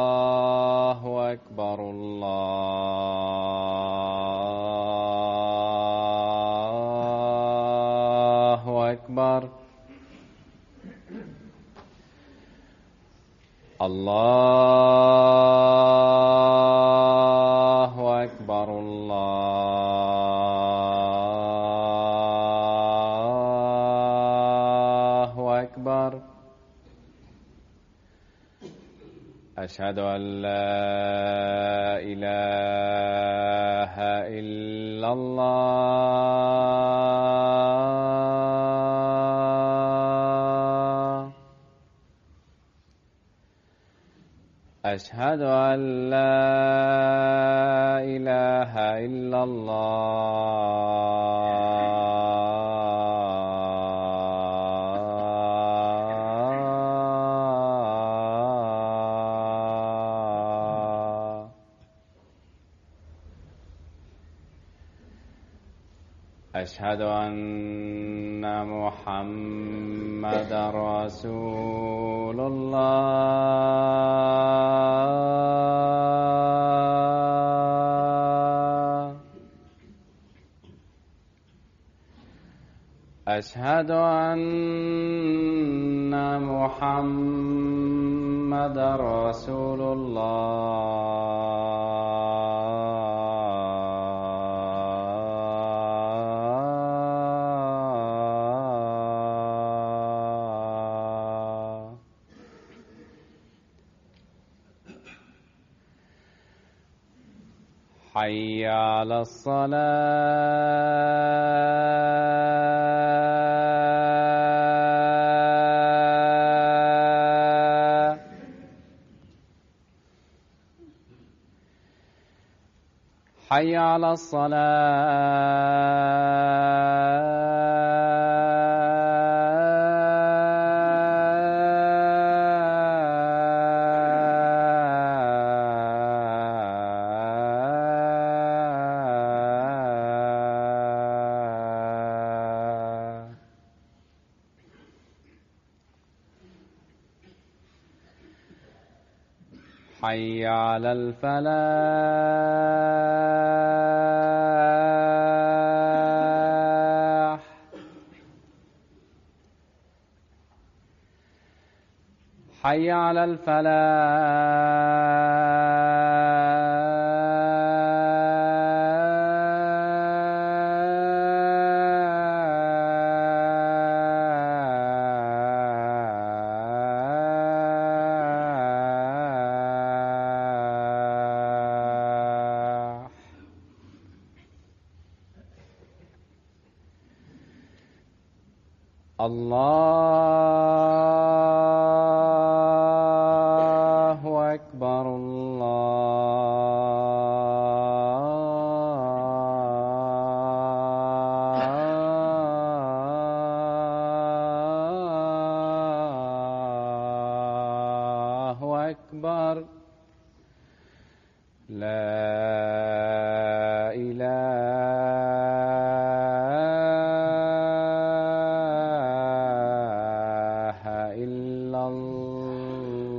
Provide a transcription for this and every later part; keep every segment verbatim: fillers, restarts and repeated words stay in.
الله أكبر الله أكبر الله أكبر الله أكبر أشهد أن لا إله إلا الله أشهد أن لا إله إلا الله أشهد أن محمدا رسول الله أشهد أن محمدا رسول الله حي على الصلاة حي على الصلاة حي على الفلاح حي على الفلاح الله أكبر الله أكبر لا إله إلا الله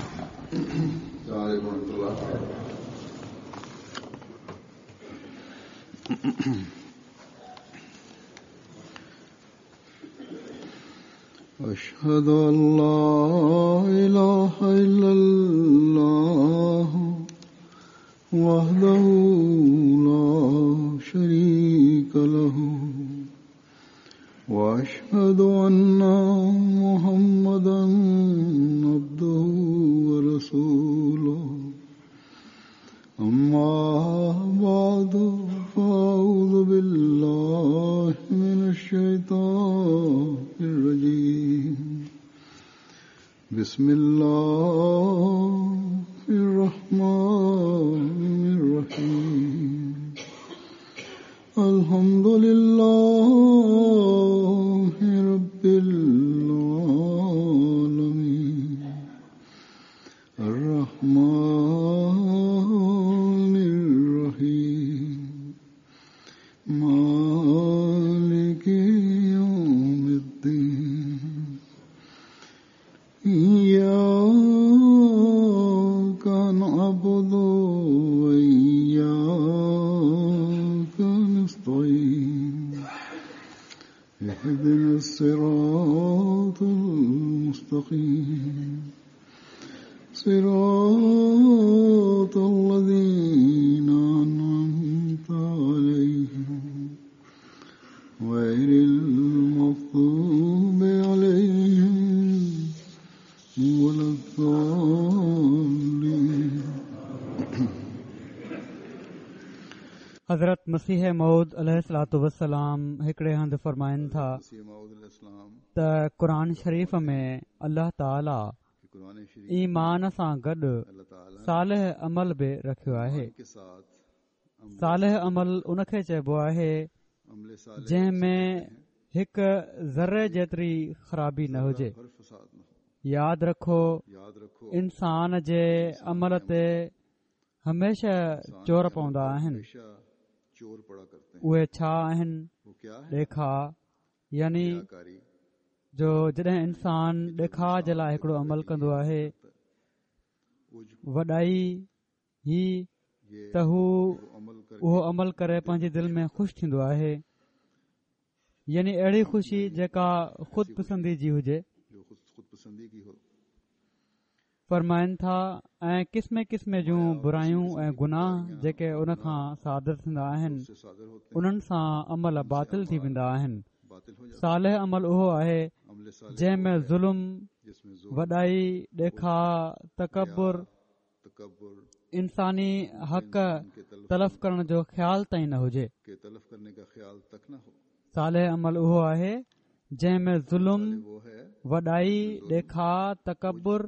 السلام عليكم ورحمة الله. أشهد أن لا إله إلا الله وحده لا شريك له وأشهد أن محمدا عبده ورسوله أما بعد فأعوذ بالله من الشيطان الرجيم بسم الله الرحمن الرحيم الحمد لله رب العالمين إياك نعبد وإياك نستعين اهدنا الصراط المستقيم صراط الذين أنعمت عليهم غير المغضوب عليهم ولا الضالين. حضرت مسيح موعود عليه الصلوة والسلام هڪڙي هنڌ فرمائن ٿا ته قرآن شريف ۾ الله تعاليٰ ايمان سان گڏ صالح عمل به رکيو آهي. صالح عمل ان کي چئبو آهي جنهن ۾ هڪ ذري جيتري خرابي نه هجي. ياد رکو، انسان جي عمل تي هميشه چور پوندا آهن. اهي ڇا آهن؟ ڏيکاءُ، يعني جو جڏهن انسان ڏيکاءُ جي لاءِ هڪڙو عمل ڪندو آهي، وڏائي هي ته هو اهو عمل ڪري پنهنجي دل ۾ خوش ٿيندو آهي، يعني اهڙي خوشي جيڪا خود پسندي جي هجي. فرمائن ٿا ۽ قسم قسم جون برايون ۽ گناهه جيڪي ان کان صادر ٿيندا آهن، انهن سان عمل باطل ٿي ويندا آهن. صالح عمل اهو آهي جنهن ۾ ظلم، وڏائي، ڏيکاءُ، تڪبر، انساني حق تلف ڪرڻ جو خيال تائين نه هجي. صالح عمل اهو آهي جنهن ۾ ظلم، وڏائي، ڏيکاءُ، تڪبر،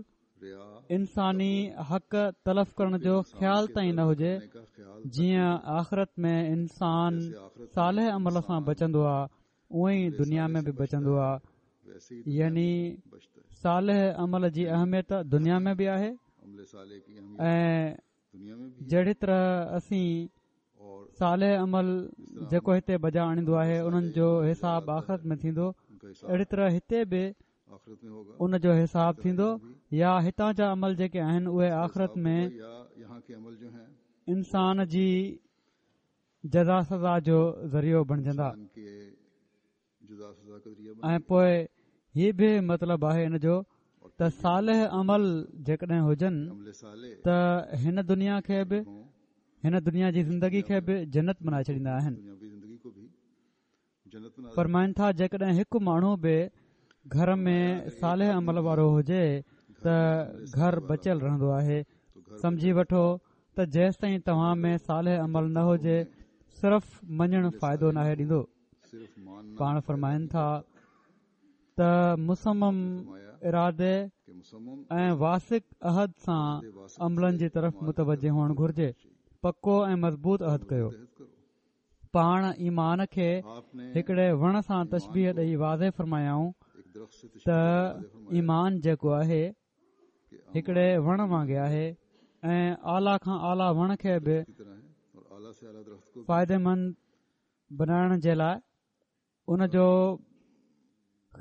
انساني حق تلف ڪرڻ جو خيال تائين نه هجي. جيئن آخرت ۾ انسان صالح عمل سان بچندو آهي، اونئن ئي دنيا ۾ به بچندو آهي. يعني صالح عمل جي اهميت دنيا ۾ به آهي ۽ جهڙي طرح اسين صالح عمل جيڪو هتي بجا آڻيندو آهي انهن جو حساب آخرت ۾ ٿيندو، اهڙي طرح هتي به ان جو حساب ٿيندو. يا هتان جا عمل جيڪي آهن اهي آخرت ۾ انسان جي جزا سزا جو ذريعو بڻجندا. ۽ پوءِ هي به مطلب آهي ان جو ته صالح عمل جيڪڏهن هجن ته هن دنيا کي به، هن دنيا جي زندگي کي به جنت بنائي ڇڏيندا آهن. فرمائن ٿا جيڪڏهن هڪ ماڻهو به گهر ۾ صالح عمل وارو هجي ته گهر بچيل رهندو آهي. سمجهي وٺو ته جيستائين توهان ۾ صالح عمل نه هجي، صرف مڃڻ فائدو ناهي ڏيندو. پاڻ فرمائن ٿا ته مصمم ارادي ۽ واثق عهد سان عملن جي طرف متوجه هئڻ گهرجي. پڪو ۽ مضبوط عهد ڪيو. پاڻ ايمان کي هڪڙي وڻ سان تشبيهه ڏئي واضح فرمايائون ته ايمان جيڪو آهي هڪڙي وڻ وانگي آهي ۽ اعليٰ کان اعليٰ وڻ کي به فائديمند بنائڻ جي لاءِ ان جو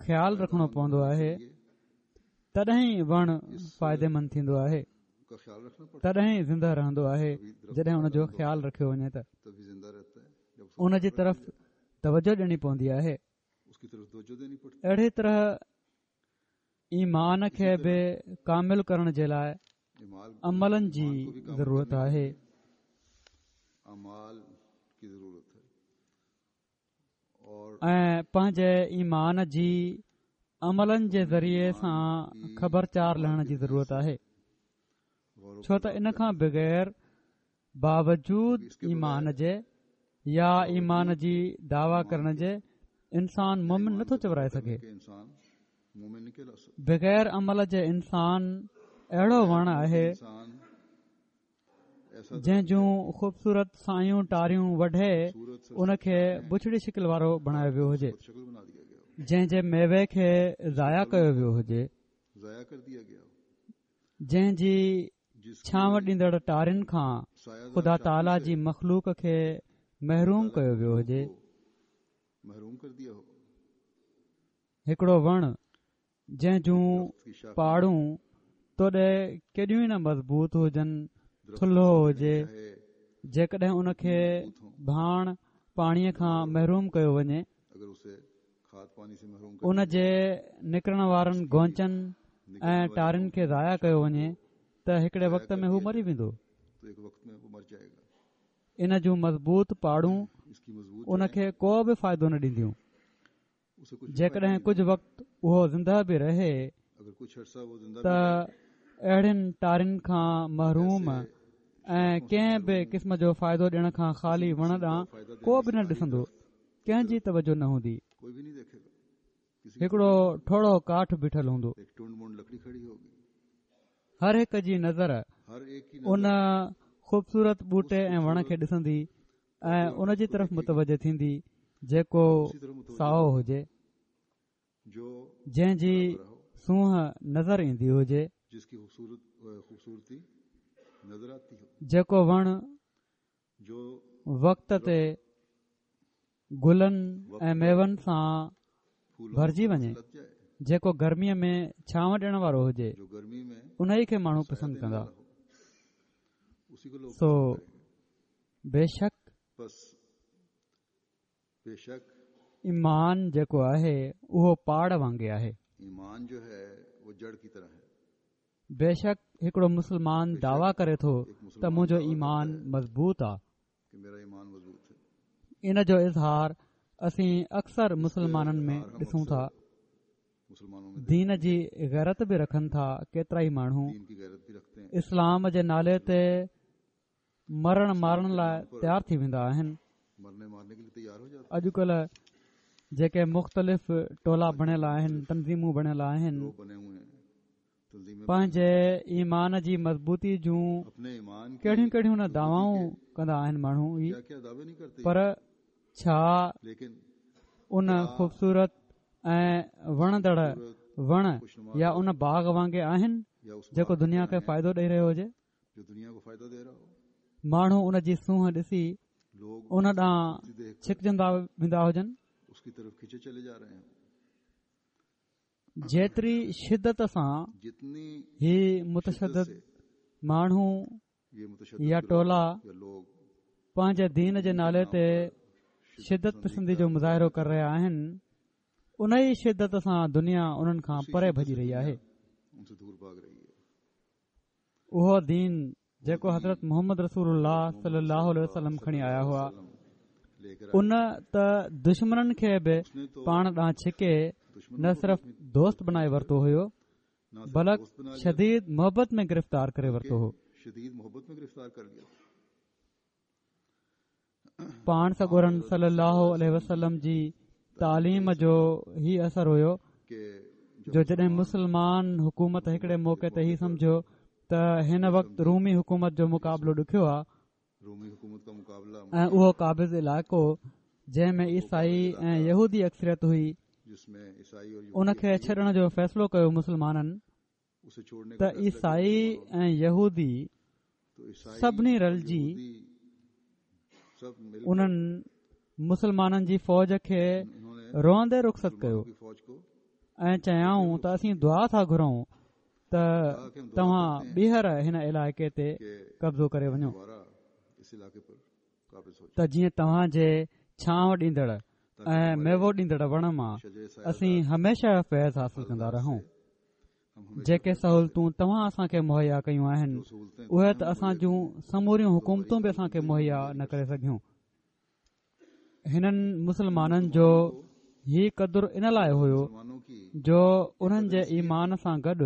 خيال رکڻو پوندو آهي، تڏهن ئي وڻ فائديمند ٿيندو آهي، تڏهن ئي زنده رهندو آهي جڏهن ان جو خيال رکيو وڃي ته ان جي طرف توجه ڏيڻي پوندي آهي. اهڙي طرح ايمان کي به ڪامل ڪرڻ جي لاءِ عملن جي ضرورت آهي. ۽ پنهنجي ايمان جي عملن جي ذريعي سان خبرچار لهڻ جي ضرورت آهي، ڇو ته ان کان بغير باوجود ايمان جي يا ايمان جي دعويٰ ڪرڻ جي انسان مومن نٿو چورائي سگهي. بغير عمل جي انسان اهڙو وڻ آهي جنهن جون خوبصورت سايون ٽاريون وڍي ان کي بڇڙي شڪل وارو بڻايو ويو هجي، جنهن جي ميوي کي ضايع ڪيو ويو هجي، جنهن جي ڇانو ڏيندڙ ٽارين کان خدا تعاليٰ جي مخلوق کي محروم ڪيو ويو هجي. هڪڙو وڻ جنهن جون پاڙون توڏي ڪيڏيون نه مضبوط هجن، ٿلهو هجي، جيڪڏهن ان کي ڀاڻ پاڻيءَ کان محروم ڪيو وڃي، ان جي نڪرڻ وارن گونچن ۽ ٽارين کي ضايع ڪيو وڃي ته هڪڙي وقت ۾ هو مري ويندو. ان جون مضبوط پاڙون ان کي ڪو به فائدو نه ڏينديون. جيڪڏهن ڪجهه وقت اهو زنده به رهي ته اهڙين ٽارين کان محروم ۽ ڪنهن به قسم جو فائدو ڏيڻ کان خالي وڻ ڏانهن ڪو به نه ڏسندو، ڪنهن جي توجه نه هوندي، هڪڙو ٺوڙهو ڪاٺ بيٺل هوندو. هر هڪ جي نظر ان خوبصورت ٻوٽي ۽ وڻ کي ڏسندي ۽ ان جي طرف متوجه ٿيندي جيڪو سائو هجي، جنهن جي سونهن نظر ايندي هجي، جيڪو وڻ وقت تي گلن ۽ ميون سان ڀرجي وڃي، جيڪو گرميءَ ۾ ڇانو ڏيڻ وارو هجي، ان ئي کي ماڻهو پسند ڪندا. سو بيشڪ ايمان جيڪو آهي اهو پاڙ وانگي آهي. بيشڪ هڪڙو مسلمان دعويٰ ڪري ٿو ته منهنجو ايمان مضبوط آهي. ان جو اظهار اسين اڪثر مسلمانن ۾ ڏسون ٿا. دين جي غيرت به رکن ٿا ڪيترا ئي ماڻهو، اسلام جي نالي تي مرڻ مارڻ لاءِ تيار ٿي ويندا آهن. اڄڪلهه جيڪي مختلف ٽولا بڻيل آهن، تنظيمون بڻيل آهن، پنهنجي ايمان جي مضبوطي جون ڪهڙيون ڪهڙيون نه دعوائون ڪندا آهن ماڻهو ئي، پر ڇا ان خوبصورت ۽ وڻندڙ وڻ يا ان باغ وانگي آهن جيڪو دنيا کي فائدو ڏيئي رهيو هجي؟ ماڻهو ان جي سونهن ڏسي ان ڏانهن ڇڪجندا ويندا هجن. جيتري شدت سان هي متشدد ماڻهو يا ٽولا پنهنجي دين جي نالي تي شدت پسندي جو مظاهرو ڪري رهيا آهن، ان ئي شدت سان دنيا انهن کان پري ڀڄي رهي آهي. اهو دين جيڪو حضرت محمد رسول الله صلي الله عليه وسلم کڻي آيا هئا، ان ته دشمنن کي به پاڻ ڏانهن ڇڪي نه صرف دوست بڻائي ورتو هيو، بلڪ شديد محبت ۾ گرفتار ڪري ورتو هو. پاڻ سڳورن صلي الله عليه وسلم جي تعليم جو هي اثر هيو جو جڏهن مسلمان حڪومت هڪڙي موقعي تي هي سمجهيو ته هن وقت رومي حڪومت جو مقابلو ڏکيو آهي ۽ اهو قابض علائقو جنهن ۾ عيسائي ۽ يهودي اڪثريت هئي، ان کي ڇڏڻ جو فيصلو ڪيو مسلمانن ته عيسائي ۽ يهودي سڀني رلجي انهن مسلمانن جي فوج کي روئندي رخصت ڪيو ۽ چيائون ته اسين دعا ٿا گهرون ته توهان ٻيهر هن علائقي تي قبضو ڪري وڃو ته جيئن توهان جي ڇانو ڏيندڙ ۽ ميوو ڏيندڙ وڻ مان اسين هميشه فيض حاصل ڪندا رهون. جيڪي سهولتون توهان اسان کي مهيا ڪيون آهن، اهي ته اسان جون سموريون حڪومتون به اسان کي مهيا نه ڪري سگهيون. هنن مسلمانن جو هي قدر ان لاءِ هيو جو انهن جي ايمان سان گڏ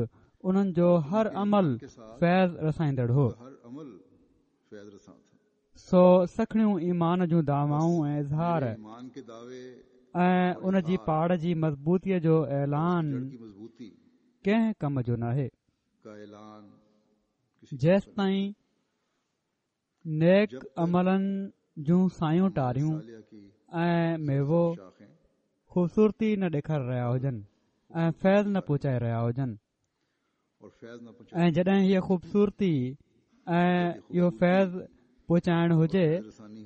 انهن جو هر عمل فيض رسائيندڙ هو. سو سکڻيون ايمان جون دعوائون ۽ اظهار ۽ ان جي پاڙ جي مضبوطيءَ جو اعلان ڪنهن ڪم جو ناهي. جيستائين نيڪ عملن جون سايون ٽاريون ۽ ميوو خوبصورتي نه ڏيکاري رهيا هجن ۽ فيض نه پهچائي رهيا هجن، ۽ جڏهن هيءَ خوبصورتي ۽ اهو فيض پهچائڻ هجي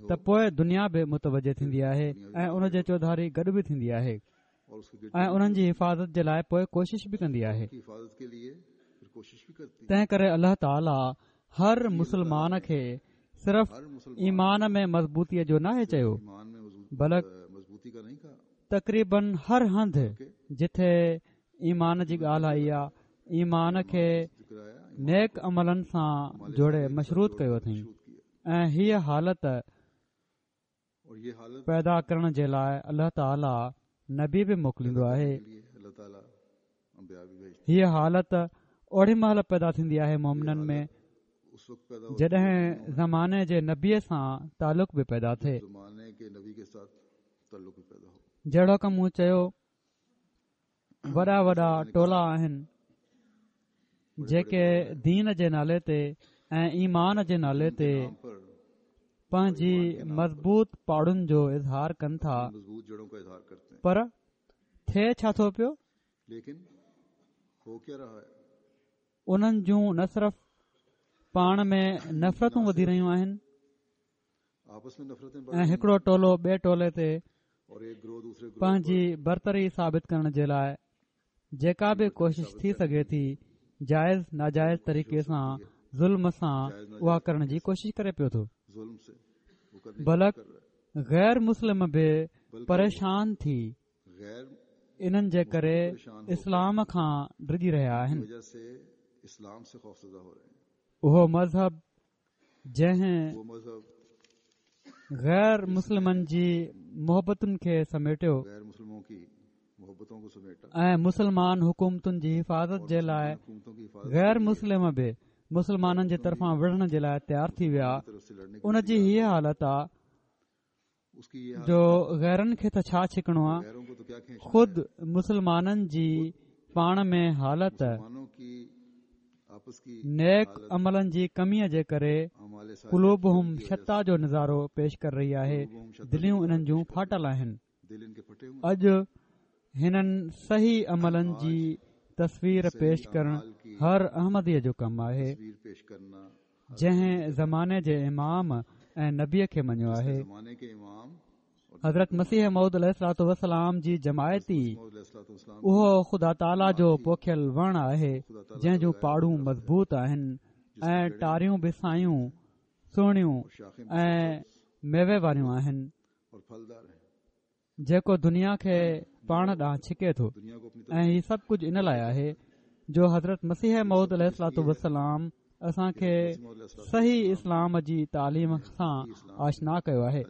ته پوءِ دنيا به متوجه ٿيندي آهي ۽ ان جي چوڌاري گڏ به ٿيندي آهي. ۽ انهن جي حفاظت جي لاءِ پوءِ ڪوشش به ڪندي آهي. تنهن ڪري الله تعاليٰ هر مسلمان کي صرف ايمان ۾ مضبوطيءَ جو ناهي چيو، بلڪ تقريبن هر هنڌ جٿي ايمان جي ڳالهه آئي آهي، ايمان کي نيڪ عملن سان جوڙي مشروط ڪيو اٿئي. ۽ هيءَ حالت پيدا ڪرڻ جي لاءِ الله تعاليٰ نبي به موڪليندو آهي. هيءَ حالت اوڙي مهل پيدا ٿيندي آهي مومنن ۾ جڏهن زماني جي نبيءَ سان تعلق به پيدا ٿئي. جهڙوڪ مون چيو، وڏا وڏا ٽولا آهن جيڪي دين جي نالي تي ۽ ايمان جي نالي تي پنهنجي مضبوط پاڙن جو اظهار ڪن ٿا، پر ٿئي ڇا ٿو پيو؟ انهن جون نه صرف پاڻ ۾ نفرتون وڌي رهيون آهن ۽ هڪڙو ٽولو ٻئي ٽولي تي پنهنجي برتري ثابت ڪرڻ جي لاءِ جيڪا به ڪوشش ٿي سگهي ٿي جائز ناجائز طريقي سان ظلم سان اها ڪرڻ جي ڪوشش ڪري پيو ٿو، بلڪ غير مسلم به پريشان ٿي انهن جي ڪري اسلام کان ڊڄي رهيا آهن. اهو مذهب جنهن غير مسلمن جي محبتن کي سميٽيو ۽ مسلمان حڪومتن جي حفاظت جي لاءِ غير مسلم به مسلمانن جي طرفان وڙهڻ جي لاءِ تيار ٿي ويا، ان جي هيءَ حالت آهي جو غيرن کي ته ڇا ڇڪڻو آهي، خود مسلمانن جي پاڻ ۾ حالت نيڪ عملن جي ڪميءَ جي ڪري قلوبهم شتيٰ جو نظارو پيش ڪري رهي آهي. دليون انهن جون ڦاٽل آهن. اڄ هنن صحيح عملن جي تصوير پيش ڪرڻ هر احمديءَ جو ڪم آهي، جنهن زماني جي امام ۽ نبيءَ کي مڃيو آهي. حضرت مسيح موعود عليه الصلوة والسلام جي جماعت ئي اهو خدا تعاليٰ جو پوکيل وڻ آهي جنهن جون پاڙون مضبوط آهن ۽ ٽاريون به سايون سهڻيون ۽ ميوي واريون آهن، جيڪو دنيا کي پاڻ ڏانهن ڇڪي ٿو. ۽ هي سڀ ڪجهه ان لاءِ آهي جو حضرت مسيح موعود عليه الصلوة والسلام اسان کي صحيح اسلام جي تعليم سان آشنا ڪيو آهي.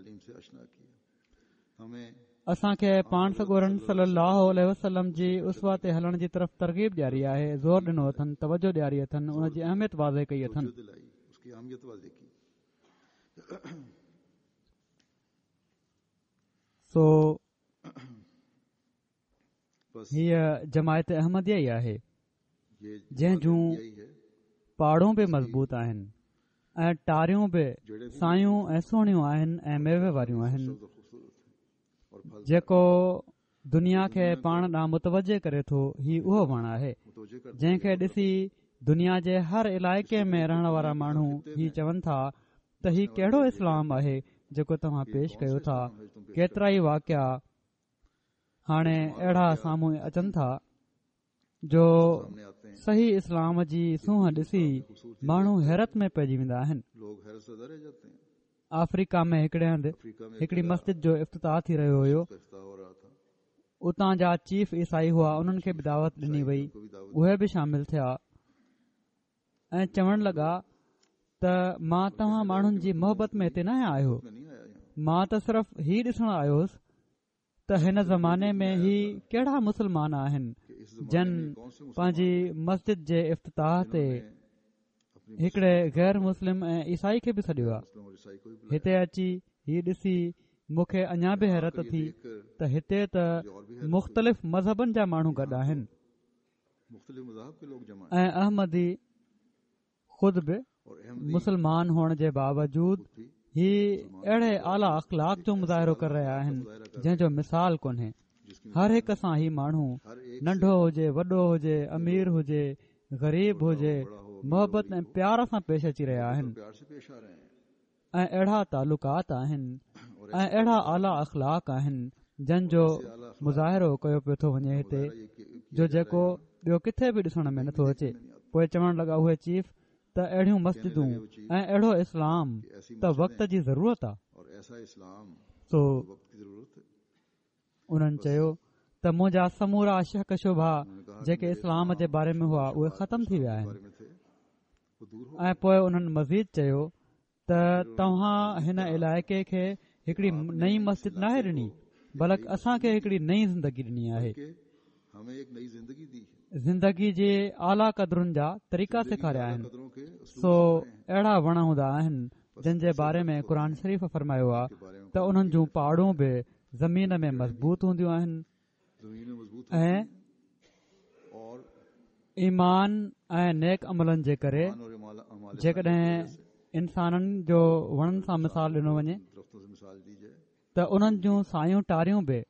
اسان کي پاڻ سڳورن صلي الله عليه وسلم جي اسوه تي هلڻ جي طرف ترغيب ڏياري آهي، زور ڏنو اٿن، توجه ڏياري اٿن، ان جي اهميت واضح ڪئي اٿن. سو هيءَ جماعت احمديه ئي آهي جنهن جون پاڙون به مضبوط آهن ۽ ٽاريون به سايون ۽ سهڻيون آهن ۽ ميوي واريون آهن، جيڪو دنيا کي پاڻ ڏانهن متوجه ڪري ٿو. هي اهو وڻ آهي جنهن کي ڏسي دنيا جي هر علائقي ۾ رهڻ وارا ماڻهو هي چون ٿا ته هي ڪهڙو اسلام آهي جيڪو توهان پيش ڪيو ٿا. ڪيترا ئي واقعا هاڻي اهڙا سامهون اچن ٿا جو صحيح اسلام جي سونهن ڏسي ماڻهو حيرت ۾ پئجي ويندا آهن. آفريڪا ۾ هڪڙي هنڌ هڪڙي مسجد جو افتتاح ٿي رهيو هيو. اتان جا چيف عيسائي هئا، انهن کي به دعوت ڏني وئي، اهي به شامل ٿيا ۽ چوڻ لڳا ته مان توهان ماڻهن جي محبت ۾ هتي نه آيو، مان ته صرف هي ڏسڻ آيو هوس ته هن زماني ۾ هي ڪهڙا مسلمان آهن جن پنهنجي مسجد جي افتتاح تي هڪڙي غير مسلم ۽ عيسائي کي به سڏيو آهي. هتي اچي هي ڏسي مون کي اڃا به حيرت ٿي ته هتي ته مختلف مذهبن جا ماڻهو گڏ آهن ۽ احمدي خود به مسلمان هئڻ جي باوجود هي اهڙي اعليٰ اخلاق جو مظاهرو ڪري رهيا آهن جنهن جو مثال ڪونهي. هر هڪ سان هي ماڻهو ننڍو هجي وڏو هجي، امير هجي غريب هجي، محبت ۽ پيار سان پيش اچي رهيا آهن ۽ اهڙا تعلقات آهن ۽ اهڙا اعليٰ اخلاق آهن جن جو مظاهرو ڪيو پيو ٿو وڃي هتي، جو جيڪو ٻيو ڪٿي به ڏسڻ ۾ نٿو اچي. پوءِ چوڻ لڳا اهي چيف ته اهڙيون مسجدون ۽ اهڙو اسلام ته وقت جي ضرورت آهي. سو انهن چيو ته منهنجا سمورا شڪ شبها جيڪي اسلام جي باري ۾ هئا اهي ختم ٿي ويا آهن. ۽ پوءِ انهن مزيد چيو ته توهان هن علائقي کي هڪڙي نئين مسجد ناهي ڏني، بلڪ اسان کي هڪڙي نئين زندگي ڏني آهي. زندگي جي اعليٰ قدرن جا طريقا سيکاريا آهن. سو اهڙا وڻ هوندا آهن جن جي باري ۾ قرآن شريف فرمايو آهي ته انهن جون پاڙون به زمين ۾ مضبوط هونديون آهن ۽ ايمان ۽ نيڪ عملن جي ڪري. جيڪڏهن انسانن جو وڻن سان مثال ڏنو وڃي ته انهن جون سايون ٽاريون به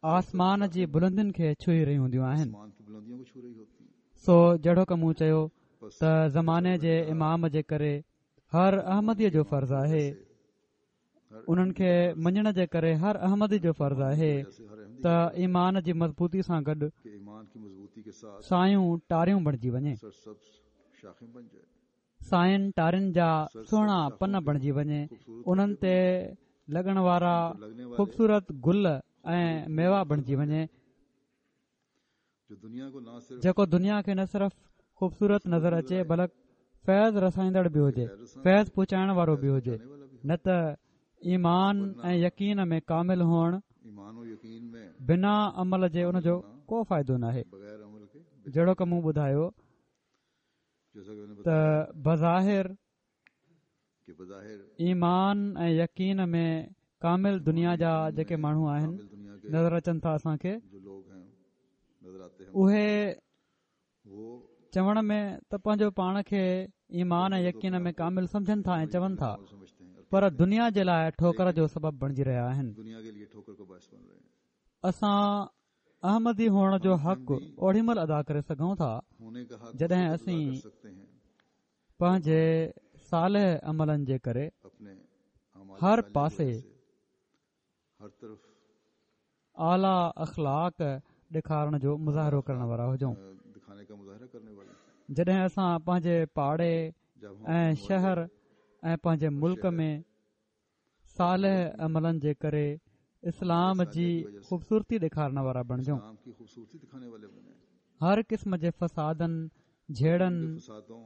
آسمان جي بلندين کي ڇهي رهيون هونديون آهن. سو جهڙوڪ مون چيو ته زماني جي امام جي ڪري هر احمديءَ جو فرض آهي، انهن کي مڃڻ جي ڪري هر احمدي جو فرض آهي ته ايمان جي مضبوطي سان گڏ سايون ٽاريون بڻجي وڃي، ساين ٽارين جا سهڻا پن بڻجي وڃي، انهن تي لڳڻ وارا خوبصورت گل ۽ ميوا بڻجي وڃي، جيڪو دنيا کي نه صرف خوبصورت نظر اچي بلڪ فيض رسائيندڙ به هجي، فيض پهچائڻ وارو به هجي. نه ته ايمان ۽ يقين ۾ ڪامل هئڻ بنا عمل جي ان جو ڪو فائدو ناهي. جهڙوڪ مون ٻڌايو ته بظاهر ايمان ۽ يقين ۾ ڪامل دنيا جا جيڪي ماڻهو آهن نظر اچن ٿا اسان کي، اهي چوڻ ۾ ته پنهنجو پاڻ کي ايمان ۽ يقين ۾ ڪامل سمجهن ٿا ۽ چون ٿا، پر دنيا جي لاءِ ٺوڪر جو سبب بڻجي رهيا آهن. اسان احمدي هئڻ جو حق اوڏي مهل ادا ڪري سگهون ٿا جڏهن اسين پنهنجي صالح عملن جي ڪري هر پاسي اعليٰ اخلاق ڏيکارڻ جو مظاهرو ڪرڻ وارا هجون. جڏهن اسان پنهنجي پاڙي ۽ شهر ۽ پنهنجي ملڪ ۾ صالح عملن جي ڪري اسلام جي خوبصورتي ڏيکارڻ وارا بڻجون. هر قسم جي فسادن، جهيڙن،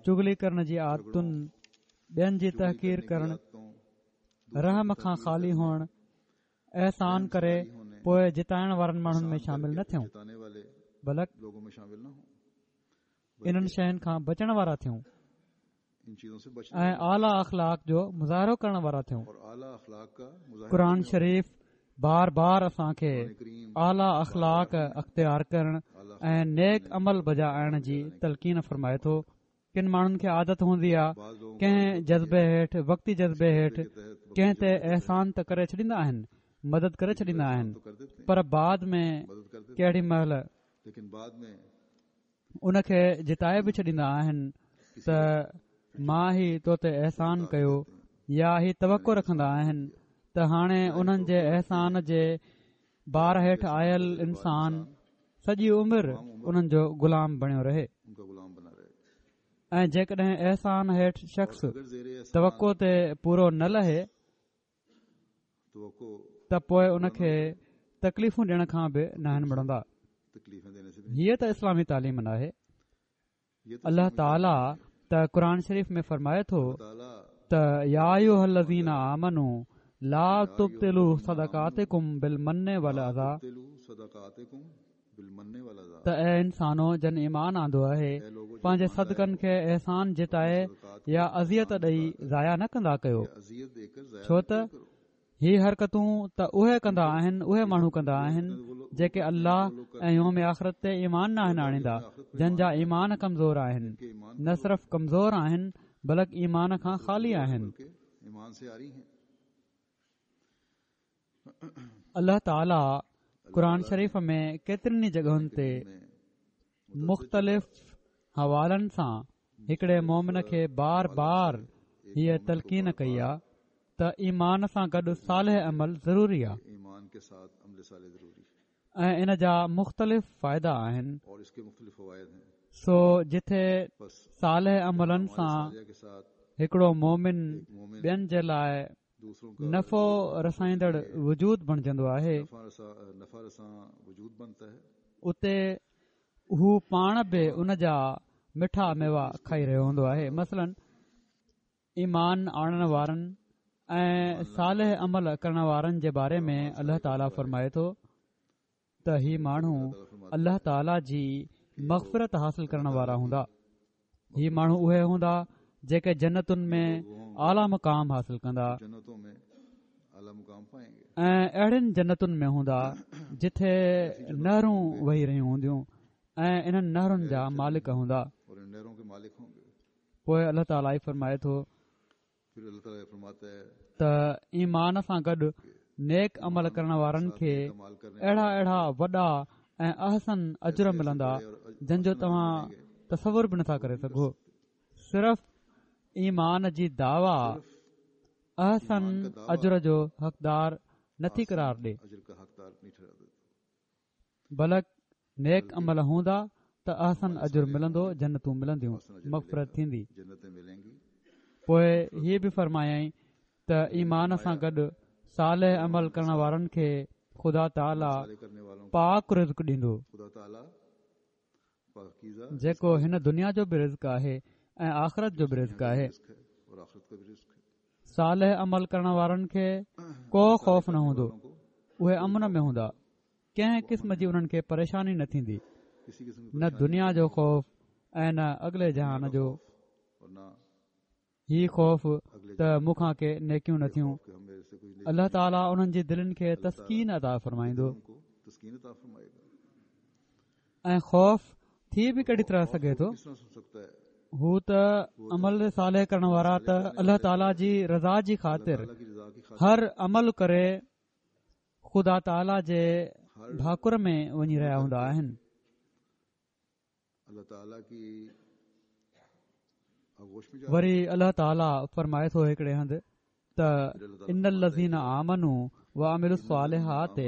چغلي ڪرڻ جي عادتن، ٻين جي تحقير ڪرڻ، رحم کان خالي هئڻ، احسان ڪري پوءِ جتائڻ وارن ماڻهن ۾ شامل نه ٿيون، بلڪ انهن شين کان بچڻ وارا ٿيون ۽ اعليٰ اخلاق جو مظاهرو ڪرڻ وارا ٿيون. قرآن شريف بار بار اسان کي اعليٰ اخلاق اختيار ڪرڻ ۽ نيڪ عمل بجا آڻڻ جي تلقين فرمائي ٿو. ڪن ماڻهن کي عادت هوندي آهي ڪنهن جذبي هيٺ، وقتي جذبي هيٺ ڪنهن تي احسان ته ڪري ڇڏيندا آهن، مدد ڪري ڇڏيندا آهن، پر بعد ۾ ڪهڙي مهل ان کي جتائي به ڇڏيندا آهن ته مان هي تو تي احسان ڪيو، يا هي توقع رکندا آهن ته هاڻي انهن جي احسان جي بار هيٺ آيل انسان سڄي عمر انهن جو غلام بڻيو رهي. ۽ جيڪڏهن احسان هيٺ شخص توقع تي پورو نه لهي ته پوءِ ان کي تڪليفون ڏيڻ کان به ناهن مڙندا. هيءَ ته اسلامي تعليم ناهي. الله تعاليٰ ته قرآن شريف ۾ فرمائي ٿو ته يا ايها الذين آمنوا لا تبطلوا صدقاتڪم بالمن والاذى، ته اي انسانو جن ايمان آندو آهي پنهنجي صدقن کي احسان جتائي يا اذيت ڏئي ضايع نه ڪندا ڪيو، ڇو ته هي حرڪتون ته اهي ڪندا آهن، اهي ماڻهو ڪندا آهن جيڪي الله ۽ يوم آخرت تي ايمان ناهن آڻيندا، جن جا ايمان ڪمزور آهن، نه صرف ڪمزور آهن بلڪ ايمان کان خالي آهن. الله تعاليٰ قرآن شريف ۾ ڪيترين ئي جڳهن تي مختلف حوالن سان هڪڙي مومن کي بار بار هيءَ تلقين ڪئي آهي ته ايمان سان گڏ صالح عمل ضروري آهي ۽ ان جا مختلف فائدا آهن. سو جٿي صالح عملن سان هڪڙو مومن ٻين جي لاءِ نفعو رسائيندڙ وجود بڻجندو آهي، اتي هو پاڻ به ان جا مٺا ميوا کائي رهيو هوندو آهي. مثلاً ايمان آڻڻ وارن ۽ صالح عمل ڪرڻ وارن جي باري ۾ الله تعاليٰ فرمائي ٿو ته هي ماڻهو الله تعاليٰ جي مغفرت حاصل ڪرڻ وارا هوندا. هي ماڻهو اهي هوندا جيڪي جنتن ۾ اعليٰ مقام حاصل ڪندا ۽ اهڙين جنتن ۾ هوندا جٿي نهرون وهي رهيون هونديون ۽ انهن نهرن جا مالڪ هوندا. پوءِ الله تعاليٰ ئي فرمائي ٿو ته ايمان سان گڏ نيڪ عمل ڪرڻ وارن کي اهڙا اهڙا وڏا ۽ احسن اجر ملندا جن جو توهان تصور به نٿا ڪري سگهو. صرف ايمان جي دعويٰ احسن اجر جو حقدار نٿي قرار ڏي، بلڪ نيڪ عمل هوندا ته احسن اجر ملندو، جنتون ملنديون، مغفرت ٿيندي. پوءِ هيءَ به فرمايائين ته ايمان سان گڏ صالح عمل ڪرڻ وارن کي خدا تعاليٰ پاڪ رزق ڏيندو، جيڪو هن دنيا جو به رزق آهي ۽ آخرت جو به رزق آهي. صالح عمل ڪرڻ وارن کي ڪو خوف نه هوندو، اهي امن ۾ هوندا، ڪنهن قسم جي انهن کي پريشاني نه ٿيندي، نه دنيا جو خوف ۽ نه اڳلي جهان جو. هي خوف ته مون کان ڪي نيڪيون نه ٿيون. الله تعاليٰ انهن جي دلن کي تسڪين عطا فرمائيندو. ۽ خوف ٿي به ڪهڙي طرح سگهي ٿو؟ هو ته عمل صالح ڪرڻ وارا ته الله تعاليٰ جي رضا جي خاطر هر عمل ڪري خدا تعاليٰ جي ڀاڪر ۾ وڃي رهيا هوندا آهن. وري الله تعاليٰ فرمائي ٿو هڪڙي هنڌ ته ان الذين آمنوا وعملوا الصالحات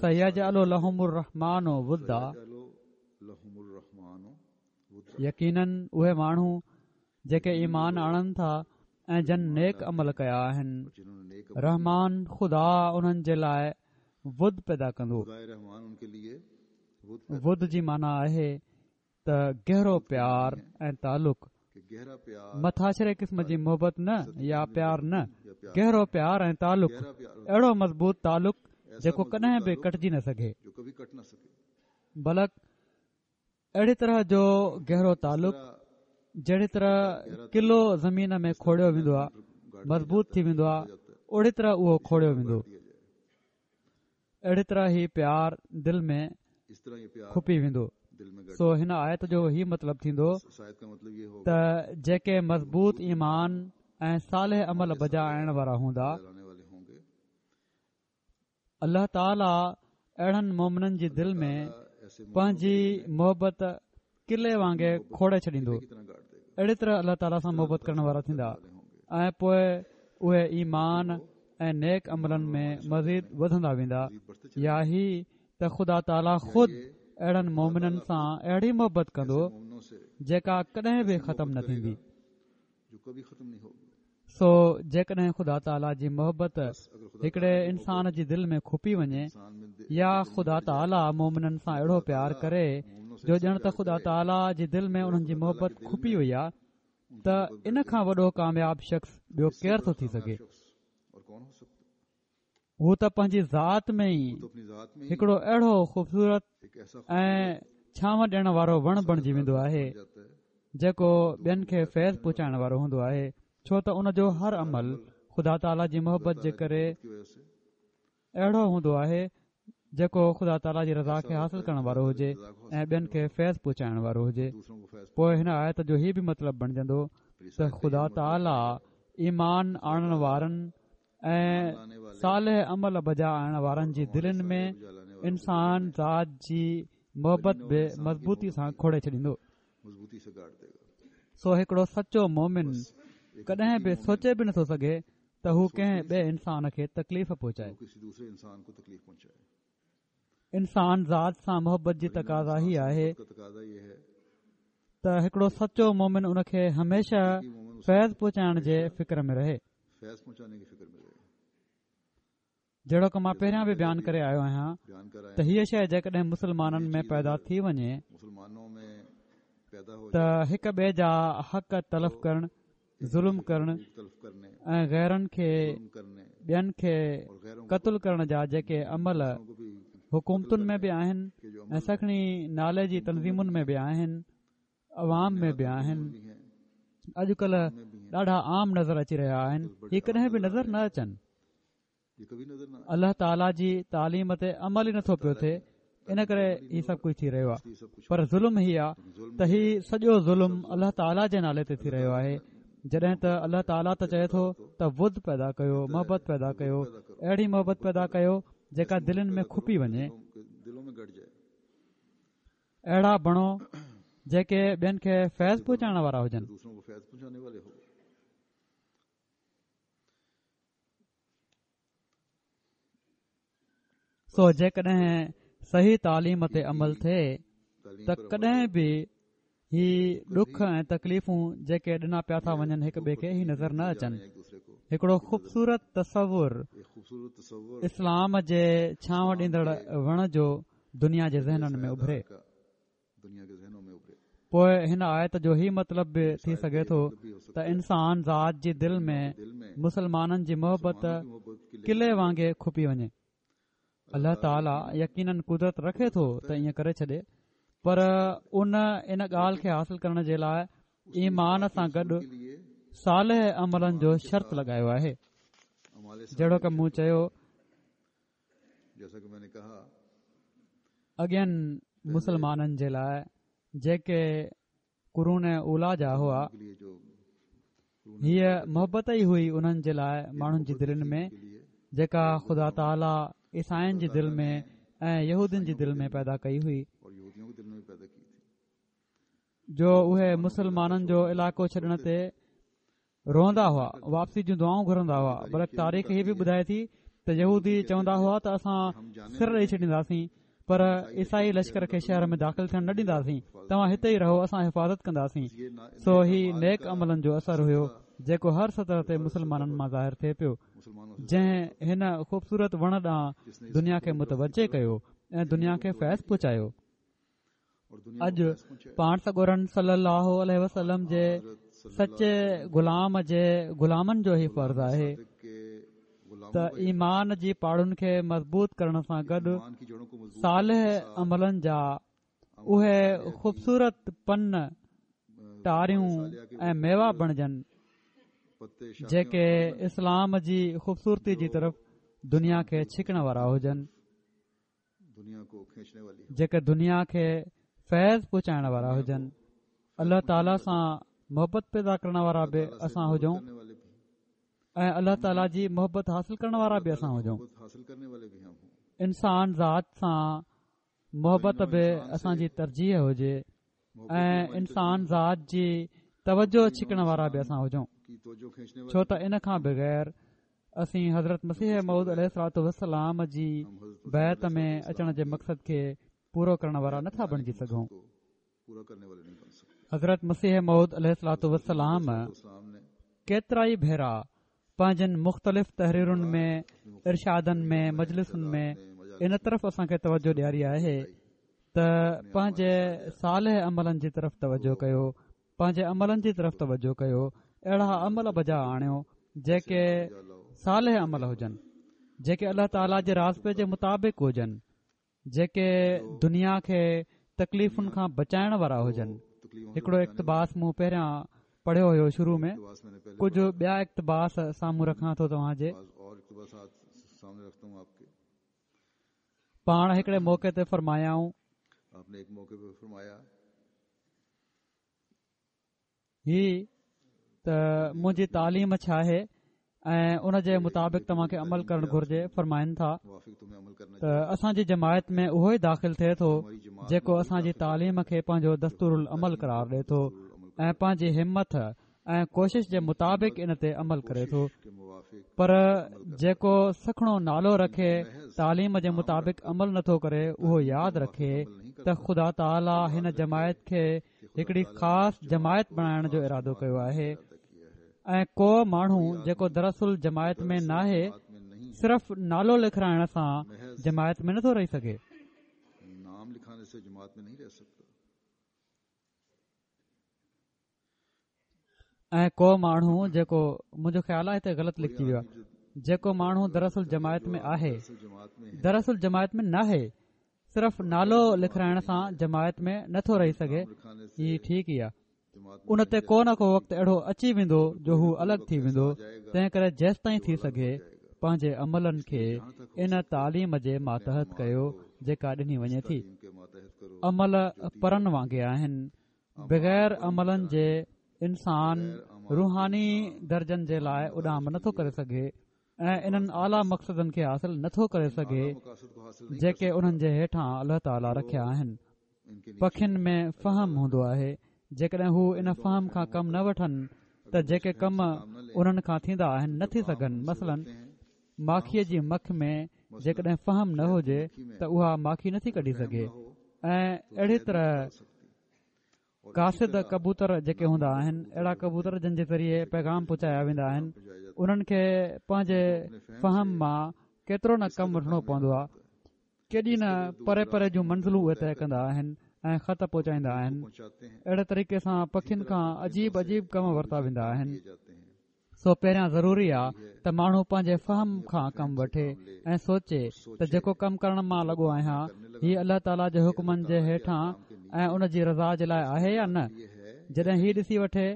سيجعل لهم الرحمن ودا، يقيناً اهي ماڻهو جيڪي ايمان آڻن ٿا ۽ جن نيڪ عمل ڪيا آهن، رحمان خدا انهن جي لاءِ ود پيدا ڪندو. ود جي معنيٰ آهي ته گهرو پيار ۽ تعلق، مٿاڇري قسم جي محبت نه يا پيار نه، گهرو پيار ۽ تعلق، اهڙو مضبوط تعلق جيڪو ڪڏهن به ڪٽجي نه سگهي، بلڪ اهڙي طرح جو گهرو تعلق جهڙي طرح قلعو زمين ۾ کوڙيو ويندو آهي، مضبوط ٿي ويندو آهي، اوڙي طرح اهو کوڙيو ويندو. اهڙي طرح هي پيار دل ۾ کپي ويندو. سو هن آيت جو هي مطلب ٿيندو ته جيڪي مضبوط ايمان ۽ صالح عمل بجا آڻڻ وارا هوندا، الله تعاليٰ اهڙن مومنن جي دل ۾ پنهنجي محبت قلعي وانگي کوڙي ڇڏيندو. اهڙي طرح الله تعاليٰ سان محبت ڪرڻ وارا ٿيندا ۽ پوءِ اهي ايمان ۽ نيڪ عملن ۾ مزيد وڌندا ويندا. يا هي ته خدا تعاليٰ خود اهڙن مومنن سان اهڙي محبت ڪندو جيڪا ڪڏهن به ختم نه ٿيندي. سو جيڪڏهن خدا تعاليٰ جي محبت هڪڙي انسان جي دل ۾ کپي وڃي يا خدا تعاليٰ مومنن سان اهڙو پيار ڪري جو ڄڻ ته خدا تعاليٰ جي دل ۾ انهن جي محبت کپي وئي آهي، ته ان کان وڏو ڪامياب شخص ٻيو ڪير ٿو ٿي سگهي؟ هو ته پنهنجي ذات ۾ ئي هڪڙو اهڙو خوبصورت ۽ ڇانو ڏيڻ وارو وڻ بڻجي ويندو آهي جيڪو ٻين کي فيض پهچائڻ وارو هوندو آهي، ڇو ته ان جو هر عمل خدا تعاليٰ جي محبت جي ڪري اهڙو هوندو آهي جيڪو خدا تعاليٰ جي رضا کي حاصل ڪرڻ وارو هجي ۽ ٻين کي فيض پهچائڻ وارو هجي. پوءِ هن آيت جو هي به مطلب بڻجندو ته خدا تعاليٰ ايمان آڻڻ وارن ۽ صالح عمل بجا آڻڻ وارن جي دلين ۾ انسان ذات جي محبت به مضبوطي سان کوڙي ڇڏيندو. سو هڪڙو سچو مومن ڪڏهن به سوچي به نٿو سگهي ته هو ڪنهن ٻئي انسان کي تڪليف پهچائي. انسان ذات سان محبت جي تقاضا هي آهي ته هڪڙو سچو مومن ان کي هميشه فيض پهچائڻ جي فڪر ۾ رهي. جهڙوڪ مان پهريان به بيان ڪري آيو آهيان ته هيءَ شيءِ جيڪڏهن مسلمانن ۾ پيدا ٿي وڃي ته هڪ ٻئي جا حق تلف ڪرڻ، ظلم ڪرڻ ۽ غيرن کي ٻين کي قتل ڪرڻ جا جيڪي عمل حڪومتن ۾ به آهن ۽ سکڻي نالي جي تنظيمن ۾ به آهن، عوام ۾ به آهن، اڄڪلهه ڏاڍا عام نظر اچي رهيا آهن، هي ڪڏهن به نظر نه اچن. الله تعاليٰ جي تعليم تي عمل ئي نٿو پيو ٿئي، ان ڪري هي سڀ ڪجهه ٿي رهيو آهي. پر ظلم هي آهي ته هي سڄو ظلم الله تعاليٰ جي نالي تي ٿي رهيو آهي، جڏهن ته الله تعاليٰ ته چئي ٿو ته ود پيدا ڪيو، محبت پيدا ڪيو، اهڙي محبت پيدا ڪيو جيڪا دلين ۾ کپي وڃي. اهڙا بڻو جيڪي ٻين کي فيض پهچائڻ وارا هجن. سو جيڪڏهن صحيح تعليم تي عمل ٿئي ته ڪڏهن به هي ڏک ۽ تڪليفون جيڪي ڏنا پيا ٿا وڃن هڪ ٻئي کي، هي نظر نه اچن. هڪڙو خوبصورت تصور اسلام جي ڇانو ڏيندڙ وڻ جو دنيا جي ذهنن ۾ اڀري. پوءِ هن آيت جو هي مطلب به ٿي سگهي ٿو ته انسان ذات جي دل ۾ مسلمانن جي محبت قلعي وانگي کپي وڃي. الله تعاليٰ يقينن قدرت رکي ٿو ته ائين ڪري ڇڏي، پر ان ان ڳالهه کي حاصل ڪرڻ جي لاءِ ايمان سان گڏ صالح عملن جو شرط لڳايو آهي. جهڙوڪ مون چيو، اڳين مسلمانن جي لاءِ جيڪي قرون اوليٰ جا هئا، هيءَ محبت ئي هئي انهن جي لاءِ ماڻهن جي دلين ۾ جيڪا خدا تعاليٰ عيسائين جي دل ۾ ۽ يهودين جي دل ۾ پيدا ڪئي هئي، جو اهي مسلمانن جو علائقو ڇڏڻ تي روئندا هئا، واپسي جون دعائون گهرندا هئا. بلڪ تاريخ هي به ٻڌائي ٿي ته يهودي چوندا هئا ته اسان سر ڏيئي ڇڏينداسين، پر عيسائي لشڪر کي شهر ۾ داخل ٿيڻ نه ڏينداسين، توهان هتي ئي رهو، اسان حفاظت ڪنداسين. سو هي نيڪ عملن جو اثر هيو جيڪو هر سطح تي مسلمانن مان ظاهر ٿئي پيو، جنهن هن خوبصورت وڻ ڏانهن دنيا کي متوجه ڪيو ۽ دنيا کي فيض پهچايو. اڄ پاڻ سڳورن صلي الله عليه وسلم جي سچي غلام جي غلامن جو هي فرض آهي ته ايمان جي پاڙن کي مضبوط ڪرڻ سان گڏ صالح عملن جا اهي خوبصورت پن، ٽاريون ۽ ميوا بڻجن جيڪي اسلام جي خوبصورتي جي طرف دنيا کي ڇڪڻ وارا هجن، جيڪي دنيا کي فيض پهچائڻ وارا هجن. الله تعاليٰ سان محبت پيدا ڪرڻ وارا به اسان هجون ۽ الله تعاليٰ جي محبت حاصل ڪرڻ وارا به اسان هجون. انسان ذات سان محبت به اسان جي ترجيح هجي ۽ انسان ذات جي توجه ڇڪڻ وارا به اسان هجون، ڇو ته ان کان بغير اسين حضرت مسيح موعود عليه الصلوة والسلام جي بيعت ۾ اچڻ جي مقصد کي پورو ڪرڻ وارا نٿا بڻجي سگهون. حضرت مسيح موعود عليه الصلوة والسلام ڪيترا ئي ڀيرا پنهنجن مختلف تحريرن ۾، ارشادن ۾، مجلسن ۾ ان طرف اسان کي توجه ڏياري آهي ته پنهنجي صالح عملن جي طرف توجه ڪيو، پنهنجي عملن جي طرف توجه ڪيو، اهڙا عمل بجا آڻيو جيڪي صالح عمل هجن، جيڪي الله تعاليٰ جي راضپي جي مطابق هجن، جيڪي دنيا کي تڪليفن کان بچائڻ وارا هجن. هڪڙو اقتباس مون پهريان پڙهيو هيو شروع ۾، ڪجهه ٻيا اقتباس سامهون رکان ٿو توهان جي. پاڻ هڪڙي موقعي تي فرمايائون، هي ته منهنجي تعليم ڇا آهي ۽ ان جي مطابق توهان کي عمل ڪرڻ گهرجي. فرمائن ٿا ته اسان جي جماعت ۾ اهو ئي داخل ٿئي ٿو جيڪو اسان جي تعليم کي پنهنجو دستور العمل قرار ڏئي ٿو ۽ پنهنجي همت ۽ ڪوشش جي مطابق ان تي عمل ڪري ٿو. پر جيڪو سکڻو نالو رکي تعليم جي مطابق عمل نٿو ڪري اهو ياد رکي ته خدا تعاليٰ هن جماعت کي هڪڙي خاص جماعت بڻائڻ جو ارادو ڪيو آهي ۽ ڪو ماڻهو جيڪو دراصل جماعت ۾ ناهي صرف نالو لکرائڻ سان جماعت ۾ نٿو رهي سگهي. ۽ ڪو ماڻهو جيڪو منهنجو خيال آهي هتي غلط لکجي ويو آهي جيڪو ماڻهو دراصل جماعت ۾ آهي دراصل جماعت ۾ ناهي صرف نالو لکرائڻ سان جماعت ۾ نٿو رهي سگهي. هي ٺيڪ ئي آهي. ان تي ڪو نه ڪو وقت اهڙو اچي ويندو جو هو الڳ ٿي ويندو. تنهن ڪري جيستائين ٿي سگهي پنهنجي عملن کي ان تعليم جي ماتحت ڪيو جيڪا ڏني وڃي ٿي. عمل پرن وانگي آهن. بغير عملن جي انسان روحاني درجن جي لاءِ اڏام نٿو ڪري سگهي ۽ انهن اعليٰ مقصدن کي حاصل نٿو ڪري سگهي جيڪي انهن جي هيٺان الله تعاليٰ رکيا آهن. پکين ۾ فهم هوندو آهي. جيڪڏهن هو ان فهم کان ڪم نه وٺن ته جيڪي ڪم انهن کان ٿيندا آهن نه ٿي سگهن. مثلاً ماکيءَ جي مک ۾ جيڪڏهن فهم نه هجي ته اها ماکي نٿي ڪڍي سگهي ۽ اهڙي طرح قاصد ڪبوتر جيڪي هوندا آهن اهڙا ڪبوتر جن جي ذريعي پيغام پهچايا ويندا آهن انهن کي پنهنجي فهم مان ڪيترو نه ڪم وٺڻو پوندو آهي. ڪيڏي نه پري پري جون منزلون اهي طئي ڪندا آهن ۽ خط پهچائيندا آهن. اهڙي طريقي سان پکين کان عجيب عجيب ڪم ورتا ويندا آهن. سو پهريان ضروري آهي ته ماڻهو پنهنجي فهم کان ڪم وٺي ۽ سوچي ته جيڪو ڪم ڪرڻ مان لڳو آهيان هي الله تعاليٰ جي حڪمن جي هيٺان ۽ ان جي رضا جي لاءِ آهي يا نه. جڏهن هي ڏسي وٺي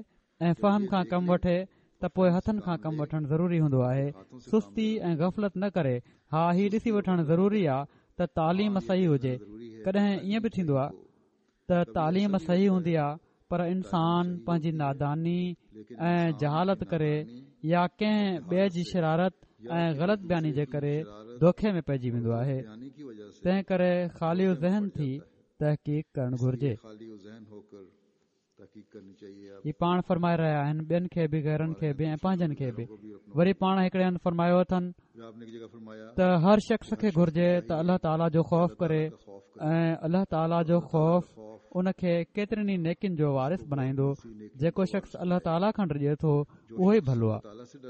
۽ فهم کان ڪم وٺي ته پوءِ هٿن کان ڪم وٺڻ ضروري هوندو آهي. سستي ۽ غفلت نه ڪري. ها هي ڏسي وٺڻ ضروري آهي ته تعليم صحيح هجي. ڪڏهن ائين به ٿيندو آهي ته تعليم صحيح هوندي آهي پر انسان پنهنجي ناداني ۽ جهالت ڪري يا ڪنهن ٻئي جي شرارت ۽ غلط بياني جي ڪري دوکي ۾ پئجي ويندو آهي. تنهن ڪري خالي ذهن ٿي تحقيق ڪرڻ گهرجي. هي پاڻ فرمائي رهيا آهن ٻين کي به غيرن کي به ۽ پنهنجن کي به. وري پاڻ هڪڙي هنڌ فرمايو اٿن ته هر شخص کي گهرجي ته الله تعاليٰ جو خوف ڪري ۽ الله تعاليٰ جو خوف ان کي ڪيترين ئي نيڪين جو وارث بڻائيندو. جيڪو شخص الله تعاليٰ کان ڊڄي ٿو اهو ئي ڀلو آهي،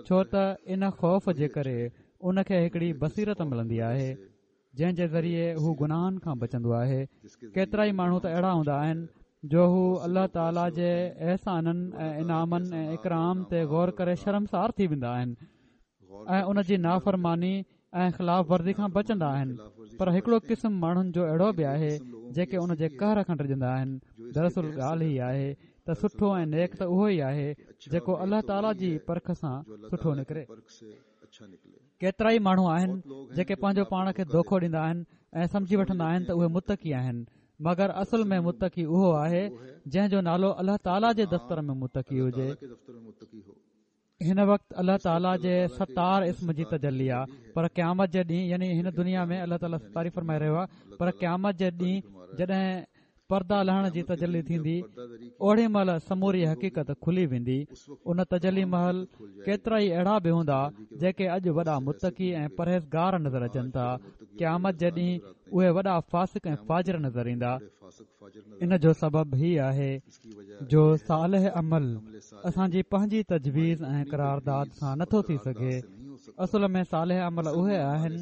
ڇو ته ان خوف جي ڪري ان کي هڪڙي بصيرت ملندي آهي جنهن جي ذريعي هو گناهن کان بچندو آهي. ڪيترا ئي ماڻهو ته اهڙا هوندا آهن جو هو الله تعاليٰ جي احسانن ۽ انعامن ۽ اڪرام تي غور ڪري شرمسار ٿي ويندا آهن ۽ ان جي نافرماني ۽ خلاف ورزي کان بچندا آهن. پر هڪڙو قسم ماڻهن جو اهڙو به آهي جيڪي ان جي قهر کان ڊڄندا آهن. دراصل ڳالهه هي آهي ته سٺو ۽ نيڪ ته اهو ئي آهي جيڪو الله تعاليٰ جي پرک سان سٺو نڪري. ڪيترا ئي ماڻهو آهن جيڪي پنهنجو پاڻ کي دوکو ڏيندا آهن ۽ سمجهي وٺندا آهن ته اهي متقي آهن، مگر اصل ۾ متقي اهو آهي جنهن جو نالو الله تعاليٰ جي دفتر ۾ متقي هجي. هن وقت الله تعاليٰ جي ستار اسم جي تجلي آهي، پر قيامت جي ڏينهن يعني هن دنيا ۾ الله تعاليٰ ستاري فرمائي رهيو آهي، پر قيامت جي ڏينهن جڏهن پردا لهڻ جي تجلي ٿيندي اوڙي مهل سموري حقيقت کلي ويندي. ان تجلي مهل ڪيترا ئي اهڙا به هوندا جيڪي اڄ وڏا متقي ۽ پرهيزگار نظر اچن ٿا، قيامت جي ڏينهن اهي وڏا فاسق ۽ فاجر نظر ايندا. ان جو سبب هي آهي جو صالح عمل اسان جي پنهنجي تجويز ۽ قرارداد سان نٿو ٿي سگهي. اصل ۾ صالح عمل اهي آهن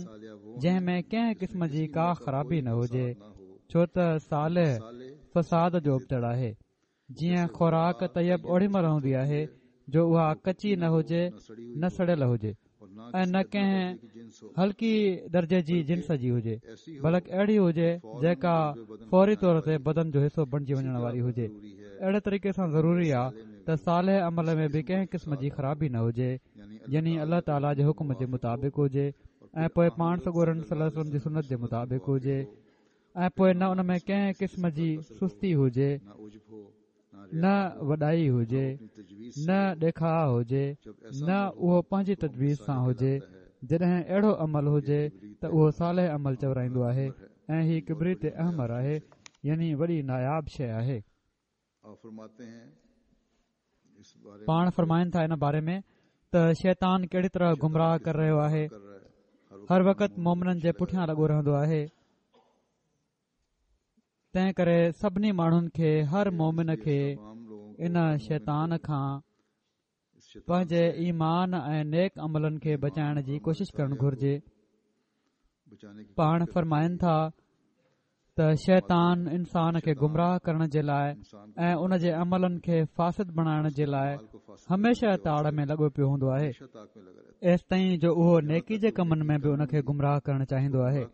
جنهن ۾ ڪنهن قسم جي ڪا خرابي نه هجي، ڇو ته صالح فساد جو ابتڙ آهي. جيئن خوراڪ طيب اوڙي مهل هوندي آهي جو اها ڪچي نه هجي نه سڙيل هجي ۽ نه ڪنهن هلڪي درجي جي جنس جي هجي، بلڪ اهڙي هجي جيڪا فوري طور تي بدن جو حصو بڻجي وڃڻ واري هجي. اهڙي طريقي سان ضروري آهي ته صالح عمل ۾ به ڪنهن قسم جي خرابي نه هجي، يعني الله تعاليٰ جي حڪم جي مطابق هجي ۽ پوءِ پاڻ سڳورن صلي الله عليه وسلم جي سنت جي مطابق هجي ۽ پوءِ نه ان ۾ ڪنهن قسم جي سستي هجي، نه وڏائي هجي، نه ڏيکاءُ هجي، نه اهو پنهنجي تجويز سان هجي. جڏهن اهڙو عمل هجي ته اهو صالح عمل چورائيندو آهي ۽ هي ڪبريت احمر آهي، يعني وڏي ناياب شيءِ آهي. پاڻ فرمائن ٿا ان باري ۾ ته شيطان ڪهڙي طرح گمراهه ڪري رهيو آهي. هر وقت مومنن جي پٺيان لڳو رهندو آهي. تنهن ڪري سڀني ماڻهن کي، هر مومن کي ان شيطان کان پنهنجي ايمان ۽ نيڪ عملن کي بچائڻ جي ڪوشش ڪرڻ گهرجي. پاڻ فرمائن ٿا ته شيطان انسان کي گمراهه ڪرڻ جي لاءِ ۽ ان جي عملن کي فاسد بڻائڻ جي لاءِ هميشه تاڙ ۾ لڳو پيو هوندو آهي، ايستائين جو اهو نيڪي جي ڪمن ۾ به ان کي گمراهه ڪرڻ چاهيندو آهي.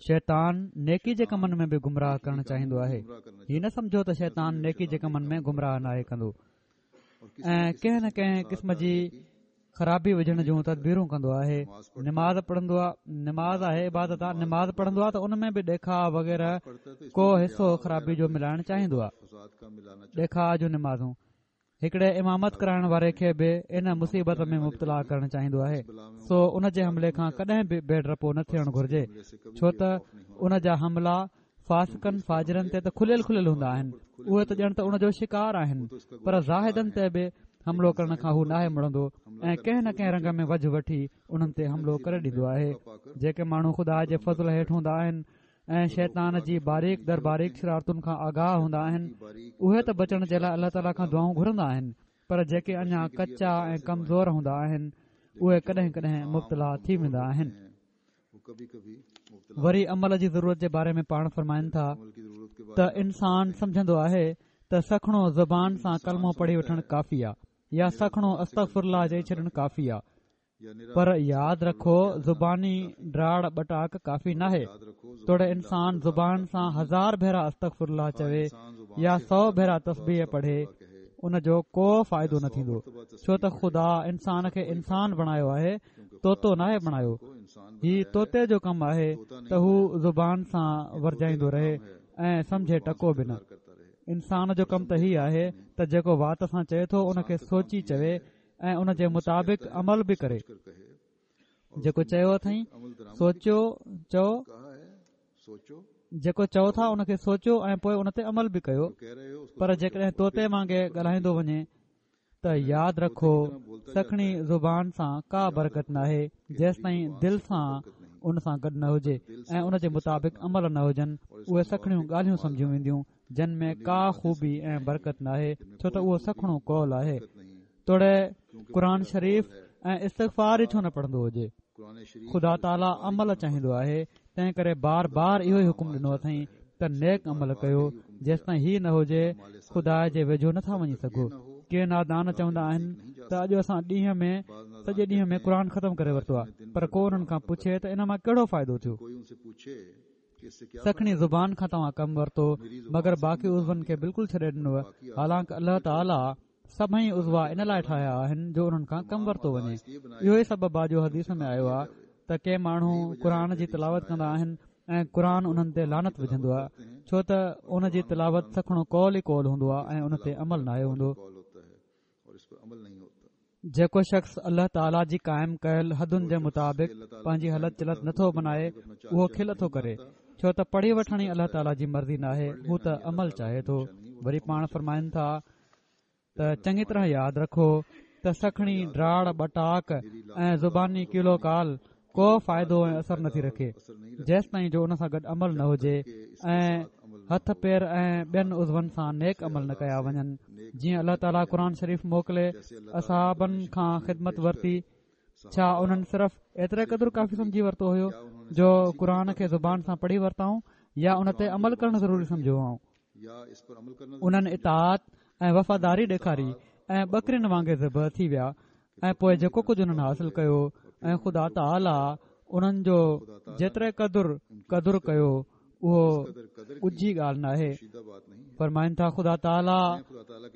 شيطان نيڪي جي ڪمن ۾ به گمراهه ڪرڻ چاهيندو آهي. هي نه سمجهو ته شيطان نيڪي جي ڪمن ۾ گمراهه ناهي ڪندو ۽ ڪنهن نه ڪنهن قسم جي خرابي وجهڻ جون تدبيرون ڪندو آهي. نماز پڙهندو آهي، نماز آهي عبادت آهي، نماز پڙهندو آهي ته ان ۾ به ڏيکاءُ وغيره ڪو حصو خرابي جو ملائڻ چاهيندو آهي. ڏيکاءُ جون نمازون هڪڙي امامت ڪرائڻ واري کي به ان مصيبت ۾ مبتلا ڪرڻ چاهيندو آهي. سو ان جي حملي کان ڪڏهن به بي ڊپو نه ٿيڻ گهرجي، ڇو ته ان جا حملا فاسقن فاجرن تي ته کليل کليل هوندا آهن، اهي ته ڄڻ ته ان جو شڪار آهن، پر زاهدن تي به حملو ڪرڻ کان هو ناهي مڙندو ۽ ڪنهن نه ڪنهن رنگ ۾ وجهه وٺي انهن تي حملو ڪري ڏيندو آهي. جيڪي ماڻهو خدا جي فضل هيٺ هوندا آهن ۽ شيطان جي باريڪ در باريڪ شرارتن کان آگاهه هوندا آهن، اهي ته بچڻ جي لاءِ الله تعاليٰ کان دعائون گهرندا آهن، پر جيڪي اڃا ڪچا ۽ ڪمزور هوندا آهن اهي ڪڏهن ڪڏهن مبتلا ٿي ويندا آهن. وري عمل جي ضرورت جي باري ۾ پاڻ فرمائن ٿا ته انسان سمجهندو آهي ته سکڻو زبان سان ڪلمو پڙهي وٺڻ ڪافي آهي يا سکڻو استغفر الله چئي ڇڏڻ ڪافي آهي، پر ياد رکو زباني ڊاڙ ٻٽاڪ ڪافي ناهي. توڙي انسان زبان سان هزار ڀيرا استغفر الله چوي يا سؤ ڀيرا تسبيح پڙهي، ان جو ڪو فائدو نه ٿيندو، ڇو ته خدا انسان کي انسان بڻايو آهي، طوطو ناهي بڻايو. هي طوطي جو ڪم آهي ته هو زبان سان ورجائيندو رهي ۽ سمجهي ٽڪو به نه. انسان جو ڪم ته هي آهي ته جيڪو وات سان چئي ٿو ان کي سوچي چوي ۽ ان جي مطابق عمل به ڪري. جيڪو چيو اٿئي سوچيو چئو، جيڪو چئو ٿا ان کي سوچيو ۽ پوءِ ان تي عمل به ڪيو. پر جيڪڏهن طوطي وانگي ڳالهائيندو وڃي ته ياد رکو سکڻي زبان سان ڪا برڪت ناهي جيستائين دل سان ان سان گڏ نه هجي ۽ ان جي مطابق عمل نه هجن. اهي سکڻيون ڳالهيون سمجهيون وينديون جن ۾ ڪا خوبي ۽ برڪت ناهي، ڇو ته اهو سکڻو قول آهي. توڙي قرآن شريف ۽ استغفار ئي ڇو نه پڙهندو هجي، خدا تعاليٰ عمل چاهيندو آهي. تنهن ڪري بار بار اهو ئي حڪم ڏنو اٿئي ته نيڪ عمل ڪيو، جيستائين هي نه هجي خدا جي ويجهو نٿا وڃي سگهو. ڪي نادان چوندا آهن ته اڄ اسان ڏينهن ۾ سڄي ڏينهن ۾ قرآن ختم ڪري ورتو آهي، پر ڪو انهن کان پڇي ته ان مان ڪهڙو فائدو ٿيو؟ سکڻي زبان کان توهان ڪم ورتو مگر باقي عضون کي بلڪل ڇڏي ڏنو. حالانڪه الله تعاليٰ سڀئي عضوا ان لاءِ ٺاهيا آهن جو انهن کان ڪم ورتو وڃي. اهو ئي سبب آهي جو حديث ۾ آيو آهي ته ڪي ماڻهو قرآن جي تلاوت ڪندا آهن ۽ قرآن انهن تي لعنت وجهندو آهي، ڇو ته ان جي تلاوت سکڻو قول ئي قول هوندو آهي ۽ ان تي عمل ناهي هوندو. جيڪو شخص الله تعاليٰ جي قائم ڪيل حدن جي مطابق پنهنجي هلت چلت نٿو بنائي اهو کل ٿو ڪري، ڇو ته پڙهي وٺڻ ئي الله تعاليٰ جي مرضي ناهي، هو ته عمل چاهي ٿو. وري پاڻ فرمائن ٿا ته چڱي طرح ياد رکو ته سکڻي ڊاڙ ٻٽاڪ ۽ زباني قيل و قال ڪو فائدو ۽ اثر نٿي رکي جيستائين جو ان سان گڏ عمل نه هجي ۽ هٿ پير ۽ ٻين عضون سان نيڪ عمل نه ڪيا وڃن. جيئن الله تعاليٰ قرآن شريف موڪلي اصحابن کان خدمت ورتي، ڇا انهن صرف ايتري قدر ڪافي سمجهي ورتو هيو جو قرآن کي زبان سان پڙهي ورتائون يا ان تي عمل ڪرڻ ضروري سمجهيو هئائون؟ انهن اطاعت ۽ وفاداري ڏيکاري ۽ ٻڪرين وانگي ذبح ٿي ويا ۽ پوءِ جيڪو ڪجهه انهن حاصل ڪيو ۽ خدا تعاليٰ انهن جو جيتري قدر قدر ڪيو اهو ڳجهي ڳالهه ناهي. فرمائن ٿا خدا تعاليٰ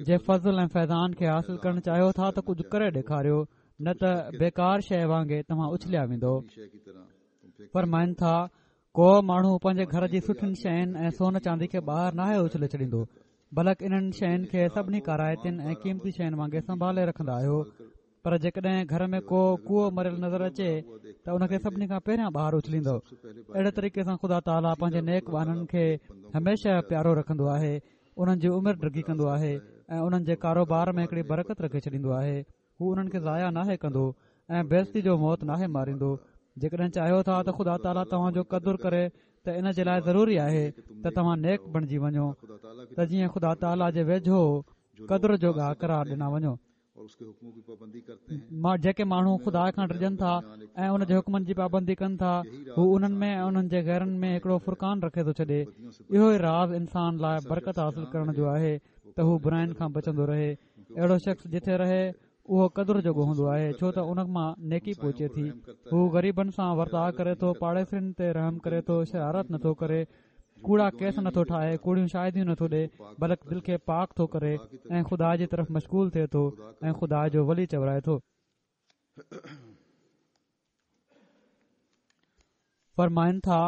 جي فضل ۽ فيضان کي حاصل ڪرڻ چاهيو ٿا ته ڪجهه ڪري ڏيکاريو، نه ته بيڪار شيءِ وانگي توهان اڇليا ويندو. فرمائن ٿا ڪو ماڻهو پنهنجي گهر جي سٺين شين ۽ سون چاندي کي ٻاهر ناهي اڇلي ڇڏيندو، بلڪ انهن شين کي سڀني ڪارائتين ۽ قيمتي شين وانگي سنڀالي رکندا آهيو. پر جيڪڏهن گهر ۾ ڪو ڪوئو مريل نظر اچي ته ان کي سڀني کان پهريان ٻاهر اڇليندو. اهڙي طريقي سان خدا تعاليٰ پنهنجي نيڪ ٻانهن کي هميشه پيارو رکندو آهي، انهن جي عمر ڊگهي ڪندو آهي ۽ انهن جي ڪاروبار ۾ هڪڙي برڪت رکي ڇڏيندو آهي. هو انهن کي ضايع ناهي ڪندو ۽ بيعزتي جو موت ناهي ماريندو. جيڪڏهن چاهيو ٿا ته خدا تعاليٰ توهان جو قدر ڪري ته ان جي لاءِ ضروري آهي ته توهان نيڪ بڻجي وڃو ته جيئن خدا تعاليٰ جي ويجهو قدر جوڳا قرار ڏنا وڃو. جيڪي ماڻهو خدا کان ڊڄن ٿا ۽ ان جي حڪمن جي پابندي ڪن ٿا، هو انهن ۾ ۽ انهن جي غيرن ۾ هڪڙو فرقان رکي ٿو ڇڏي. اهو ئي راز انسان لاءِ برڪت حاصل ڪرڻ جو آهي ته هو براين کان بچندو رهي. اهڙو شخص جٿي رهي اهو قدر جوڳو هوندو آهي، ڇو ته ان مان نيڪي پهچي ٿي. هو غريبن سان ورتاءُ ڪري ٿو، پاڙيسرين تي رحم ڪري ٿو، شرارت نٿو ڪري، ڪوڙا ڪيس نٿو ٺاهي، ڪوڙيون شاهديون نٿو ڏئي، بلڪ دل کي پاڪ ٿو ڪري ۽ خدا جي طرف مشغول ٿئي ٿو ۽ خدا جو ولي چورائي ٿو. فرمائن ٿا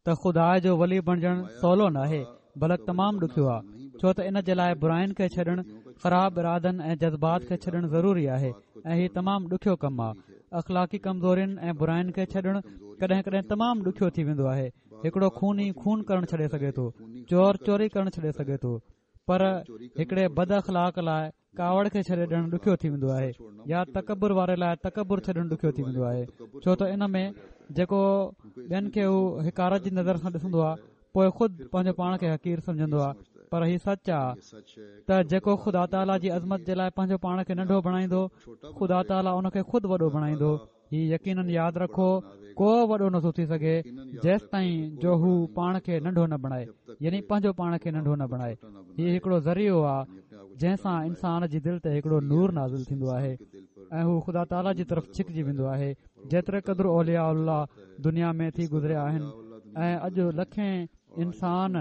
ته خدا جو ولي بڻجڻ سولو ناهي بلڪ تمام ڏکيو آهي، ڇو ته ان جي لاءِ براين کي ڇڏڻ، خراب ارادن ۽ جذبات کي ڇڏڻ ضروري آهي ۽ هي تمام ڏکيو ڪم آهي. اخلاقي ڪمزورين ۽ براين کي ڇڏڻ ڪڏهن ڪڏهن تمام ڏکيو ٿي ويندو آهي. هڪڙو خوني خون ڪرڻ ڇڏي سگهي ٿو، چور چوري ڪرڻ ڇڏي سگهي ٿو، پر هڪڙي بد اخلاق لاءِ ڪاوڙ کي ڇڏي ڏيڻ ڏکيو ٿي ويندو آهي، يا تڪبر واري لاءِ تڪبر ڇڏڻ ڏکيو ٿي ويندو آهي، ڇو ته ان ۾ جيڪو ٻين کي هو حقارت جي نظر سان ڏسندو آهي پوءِ خود پنهنجو پاڻ کي حقير سمجهندو آهي. پر هي سچ آهي ته جيڪو خدا تعاليٰ جي عظمت جي لاءِ پنهنجو پاڻ کي ننڍو بڻائيندو، خدا تعاليٰ ان کي خود وڏو بڻائيندو. هي يقينن ياد رکو، ڪو وڏو نٿو ٿي سگهي جيستائين جو هو پاڻ کي ننڍو نه بڻائي، يعني پنهنجو پاڻ کي ننڍو نه بڻائي. هي هڪڙو ذريعو آهي جنهن سان انسان جي دل تي هڪڙو نور نازل ٿيندو آهي ۽ هو خدا تعاليٰ جي طرف ڇڪجي ويندو آهي. جيتري قدر اولياء الله دنيا ۾ ٿي گذريا آهن ۽ اڄ لکين انسان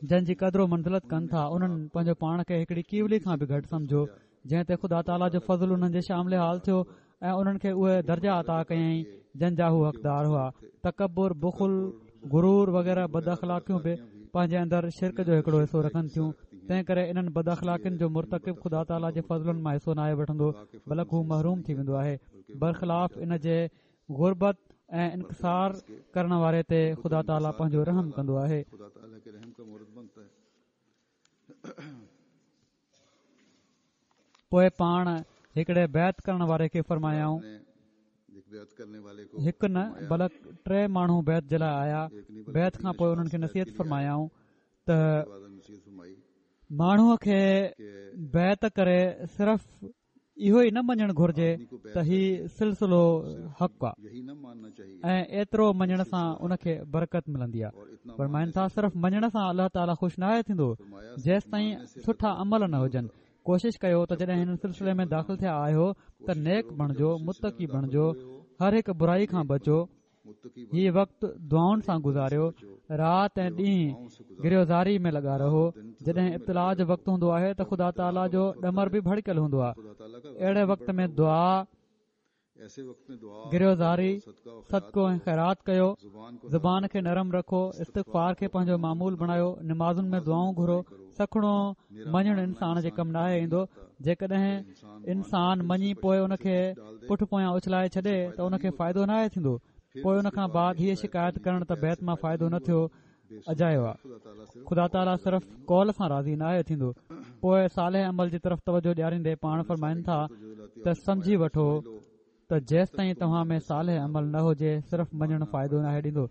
جن جي قدر و منزلت ڪن ٿا، انهن پنهنجو پاڻ کي هڪڙي ڪيولي کان به گهٽ سمجهيو، جنهن تي خدا تعاليٰ جو فضل انهن جي شامل حال ٿيو ۽ انهن کي اهي درجا عطا ڪيائين جن جا هو حقدار هئا. تڪبر، بخل، غرور وغيره بد اخلاقيون به پنهنجي اندر شرڪ جو هڪڙو حصو رکن ٿيون. تنهن ڪري انهن بد اخلاقين جو مرتڪب خدا تعاليٰ جي فضلن مان حصو ناهي وٺندو، بلڪ هو محروم ٿي ويندو آهي. برخلاف ان جي غربت ۽ انڪسار ڪرڻ واري تي خدا تعاليٰ پنهنجو رحم ڪندو آهي. پوءِ پاڻ هڪڙي بيعت ڪرڻ واري کي فرمايائون، هڪ نه بلڪ ٽي ماڻهو بيعت جي لاءِ آيا. بيعت کان پوءِ انهن کي نصيحت فرمايائون ته ماڻهوءَ کي بيعت ڪري صرف اهو ئي نه مڃڻ گهرجي ته هي سلسلو حق آهي ۽ ايترو مڃڻ سان ان کي برڪت ملندي آهي. فرمائن ٿا صرف مڃڻ سان الله تعاليٰ خوش ناهي ٿيندو جيستائين سٺا عمل نه هجن. ڪوشش ڪيو ته جڏهن هن سلسلي ۾ داخل ٿيا آهيو ته نيڪ بڻجو، متقي بڻجو، هر هڪ برائي کان بچو. هي وقت دعائن سان گذاريو، رات ۽ ڏينهن گريوزاري ۾ لڳا رهو. جڏهن ابتلا جو وقت هوندو آهي ته خدا تعاليٰ جو ڏمر به ڀڙڪيل هوندو آهي. اهڙي وقت ۾ دعا، گريوزاري، صدقو ۽ خيرات ڪيو. زبان کي نرم رکو، استغفار کي پنهنجو معمول بڻايو، نمازن ۾ دعائون گهرو. سکڻو مڃڻ انسان جي ڪم ناهي ايندو. جيڪڏهن انسان مڃي پوءِ ان کي پٺ پويان اڇلائي ڇڏي ته ان کي فائدو ناهي ٿيندو. پوءِ ان کان بعد هيءَ شڪايت ڪرڻ ته بيعت مان فائدو نه ٿيو اجايو آهي. خدا تعاليٰ صرف قول سان راضي ناهي ٿيندو. پوءِ صالح عمل جي طرف توجه ڏياريندي پاڻ فرمائن ٿا ته سمجهي وٺو ته جيستائين توهان ۾ صالح عمل نه هجي صرف مڃڻ فائدو ناهي ڏيندو.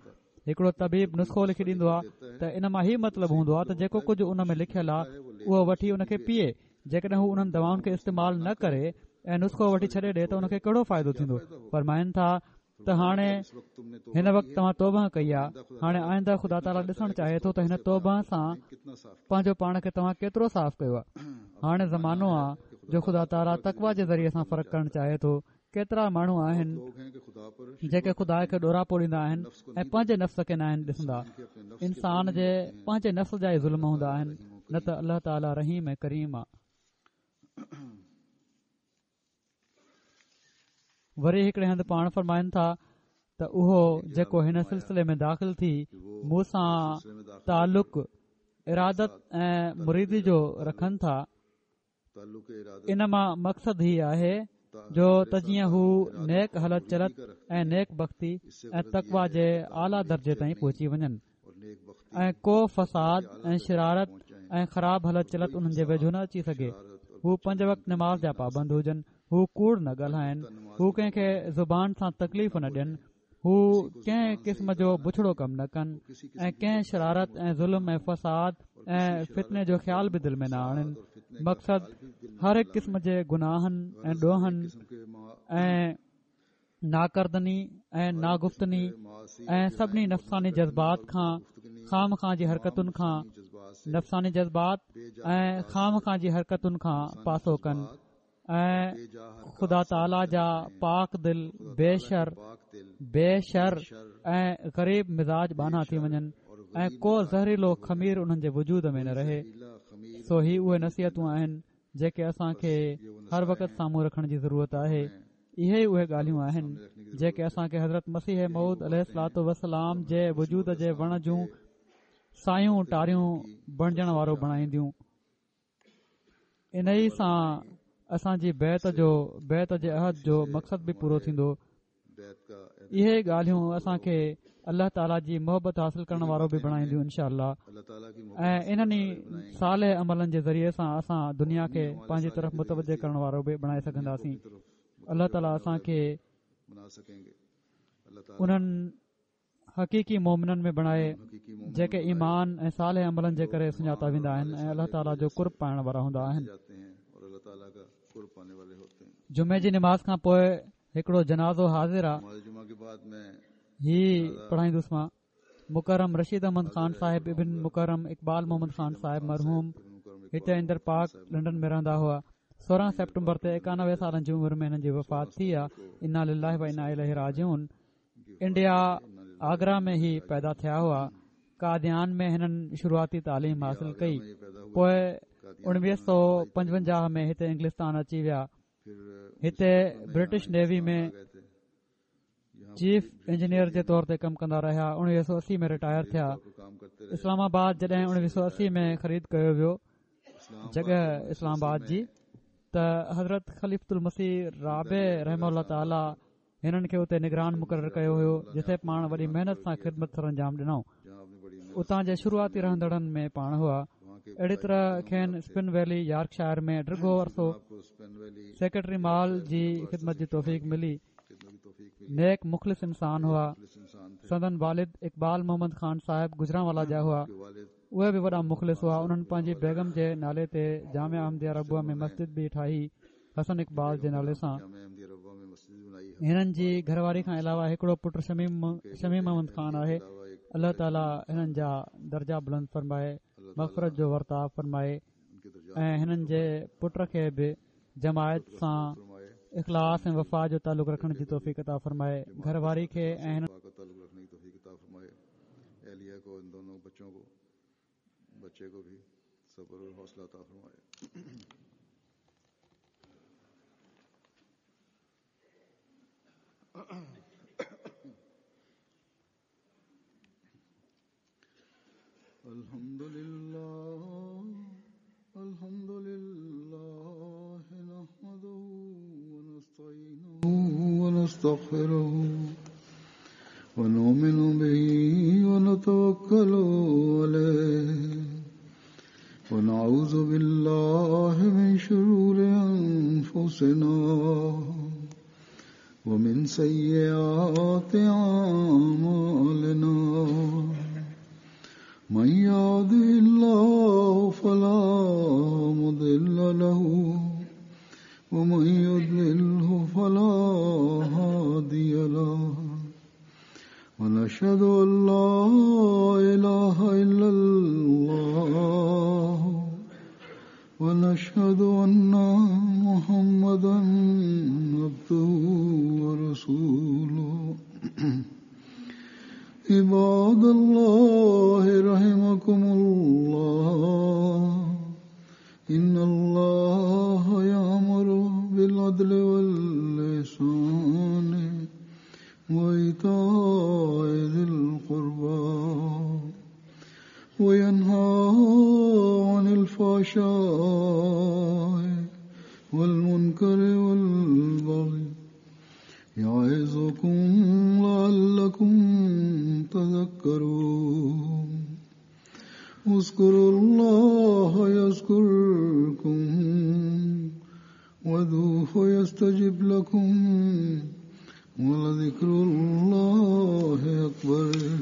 هڪڙو طبيب نسخو لکي ڏيندو آهي ته ان مان هي مطلب هوندو آهي ته جيڪو ڪجهه ان ۾ لکيل آهي اهو وٺي ان کي پيئي. جيڪڏهن هو انهن دوائن کي استعمال نه ڪري ۽ نسخو وٺي ڇڏي ڏئي ته ان کي ڪهڙو فائدو ٿيندو؟ فرمائن ٿا ته هاڻي هن وقت توهان توبه ڪئي آهي، هاڻي آئنده خدا تعاليٰ ڏسڻ چاهي ٿو ته هن توبه سان پنهنجو پاڻ کي توهان ڪيترو صاف ڪيو آهي. هاڻي زمانو آهي جو خدا تعاليٰ تقويٰ جي ذريعي سان فرق ڪرڻ چاهي ٿو. ڪيترا ماڻهو آهن جيڪي خدا کي ڏوراپو ڏيندا آهن ۽ پنهنجي نفس کي ناهن ڏسندا. انسان جي پنهنجي نفس جا ئي ظلم هوندا آهن، نه ته الله تعاليٰ رحيم ۽ ڪريم آهي. وري هڪڙي هنڌ پاڻ فرمائن ٿا ته اهو جيڪو هن سلسلي ۾ داخل ٿي مون سان تعلق ارادت ۽ مريدي جو رکن ٿا، ان مان مقصد هي آهي جو ته جيئن هو نيڪ هلت چلت ۽ نيڪ بختي ۽ تقويٰ جي اعليٰ درجي تائين پهچي وڃن ۽ ڪو فساد ۽ شرارت ۽ خراب هلت چلت انهن جي ويجهو نه اچي سگهي. هو پنج وقت نماز جا پابند هجن، هو ڪوڙ نه ڳالهائن، هو ڪنهن کي زبان سان تڪليف نه ڏين، هو ڪنهن قسم جو بڇڙو ڪم نه ڪن ۽ ڪنهن شرارت ۽ ظلم ۽ فساد ۽ فتني جو خيال به دل ۾ نه آڻن. مقصد هر هڪ قسم جي گناهن ۽ ڏوهن ۽ ناڪردني ۽ ناگفتني ۽ سڀني نفساني جذبات کان، خامخواه جي حرڪتن کان، نفساني جذبات ۽ خامخواه جي حرڪتن کان پاسو ڪن ۽ خدا تعاليٰ جا پاڪ دل، بي شر بي شر ۽ غريب مزاج ٻانها ٿي وڃن ۽ ڪو زهريلو خمير انهن جي وجود ۾ نه رهي. سو هي اهي نصيحتون آهن جيڪي اسان کي هر وقت سامهون رکڻ جي ضرورت آهي. اهي ئي اهي ڳالهيون آهن جيڪي اسان کي حضرت مسيح موعود عليه الصلوة والسلام جي وجود جي وڻ جون سايون ٽاريون بڻجڻ وارو بڻائينديون. انهي سان اسان جي بيعت جو بيعت جي عهد جو مقصد به پورو ٿيندو. اهي ڳالهيون اسان کي الله تعاليٰ جي محبت حاصل ڪرڻ وارو به بڻائينديون انشاء الله، ۽ انهن ئي صالح عملن جي ذريعي سان اسان دنيا کي پنهنجي طرف متوجه ڪرڻ وارو به بڻائي سگهنداسين. الله تعاليٰ اسان کي انهن حقيقي مومنن ۾ بڻائي جيڪي ايمان ۽ صالح عملن جي ڪري سڃاتا ويندا آهن ۽ الله تعاليٰ جو قرب پائڻ وارا هوندا آهن. جمعي جي نماز کان پوءِ هڪڙو جنازو حاضر آ، هي پڙهائيندس مان. مڪرم رشيد احمد خان صاحب ابن مڪرم اقبال محمد خان صاحب مرحوم هتي اندر پارڪ لنڊن ۾ رهندا هئا. سورهن سيپٽمبر تي ايڪانوي سالن جي عمر ۾ هنن جي وفات ٿي آ. انا لله و انا اليه راجعون. انڊيا آگرا ۾ هي پيدا ٿيا هئا. قاديان ۾ هنن شروعاتي تعليم حاصل ڪئي. پوءِ اڻويهه سؤ پنجونجاهه ۾ هتي انگلستان اچي ويا. هتي برٽش نيوي ۾ چيف انجنيئر جي طور تي ڪم ڪندا رهيا. اڻويهه سؤ اسي ۾ رٽائر ٿيا. اسلام آباد جڏهن اڻويهه سؤ اسي ۾ خريد ڪيو ويو جڳهه اسلام آباد جي، ته حضرت خليفة المسيح رابع رحمه الله تعاليٰ هنن کي اتي نگران مقرر ڪيو هيو، جتي پاڻ وڏي محنت سان خدمت سر انجام ڏنائون. اتان جي شروعاتي رهندڙن ۾ پاڻ هئا. اهڙي طرح کين اسپن ويلي يارڪشائر ۾ ڊگهو عرصو سيڪريٽري مال جي خدمت جي توفيق ملي. نيڪ مخلص انسان هئا. سندن والد اقبال محمد خان صاحب گجرانوالا جا هئا. اهي به وڏا مخلص هئا. انهن پنهنجي بيگم جي نالي تي جامعه احمديه ربوه ۾ مسجد به ٺاهي حسن اقبال جي نالي سان. هنن جي گهرواري کان علاوه هڪڙو پٽ شميم شميم احمد خان آهي. الله تعاليٰ هنن جا درجا بلند فرمائي، مغفرت جو ورتاءُ فرمائي ۽ هنن جي پٽ کي به جماعت سان اخلاص ۽ وفا جو تعلق رکڻ جي توفيق عطا فرمائي. گهرواري کي ۽ هنن بچے کو بھی صبر اور حوصلہ عطا فرمائے. الحمد للہ الحمد للہ نحمده ونستعینه ونستغفره ونؤمن به ونتوكل عليه ونعوذ بالله من شرور أنفسنا ومن سيئات أعمالنا من يهده الله فلا مضل له ومن يضلله فلا هادي له ونشهد أن لا إله إلا الله ونشهد أن محمدا عبده ورسوله. عباد الله رحمكم الله، إن الله يأمر بالعدل والإحسان وإيتاء ذي القربى وينهى عن الفحشاء والمنكر والبغي يعظكم لعلكم تذكرون. اذكروا الله الله يذكركم وادعوه يستجب لكم ولذكر الله أكبر.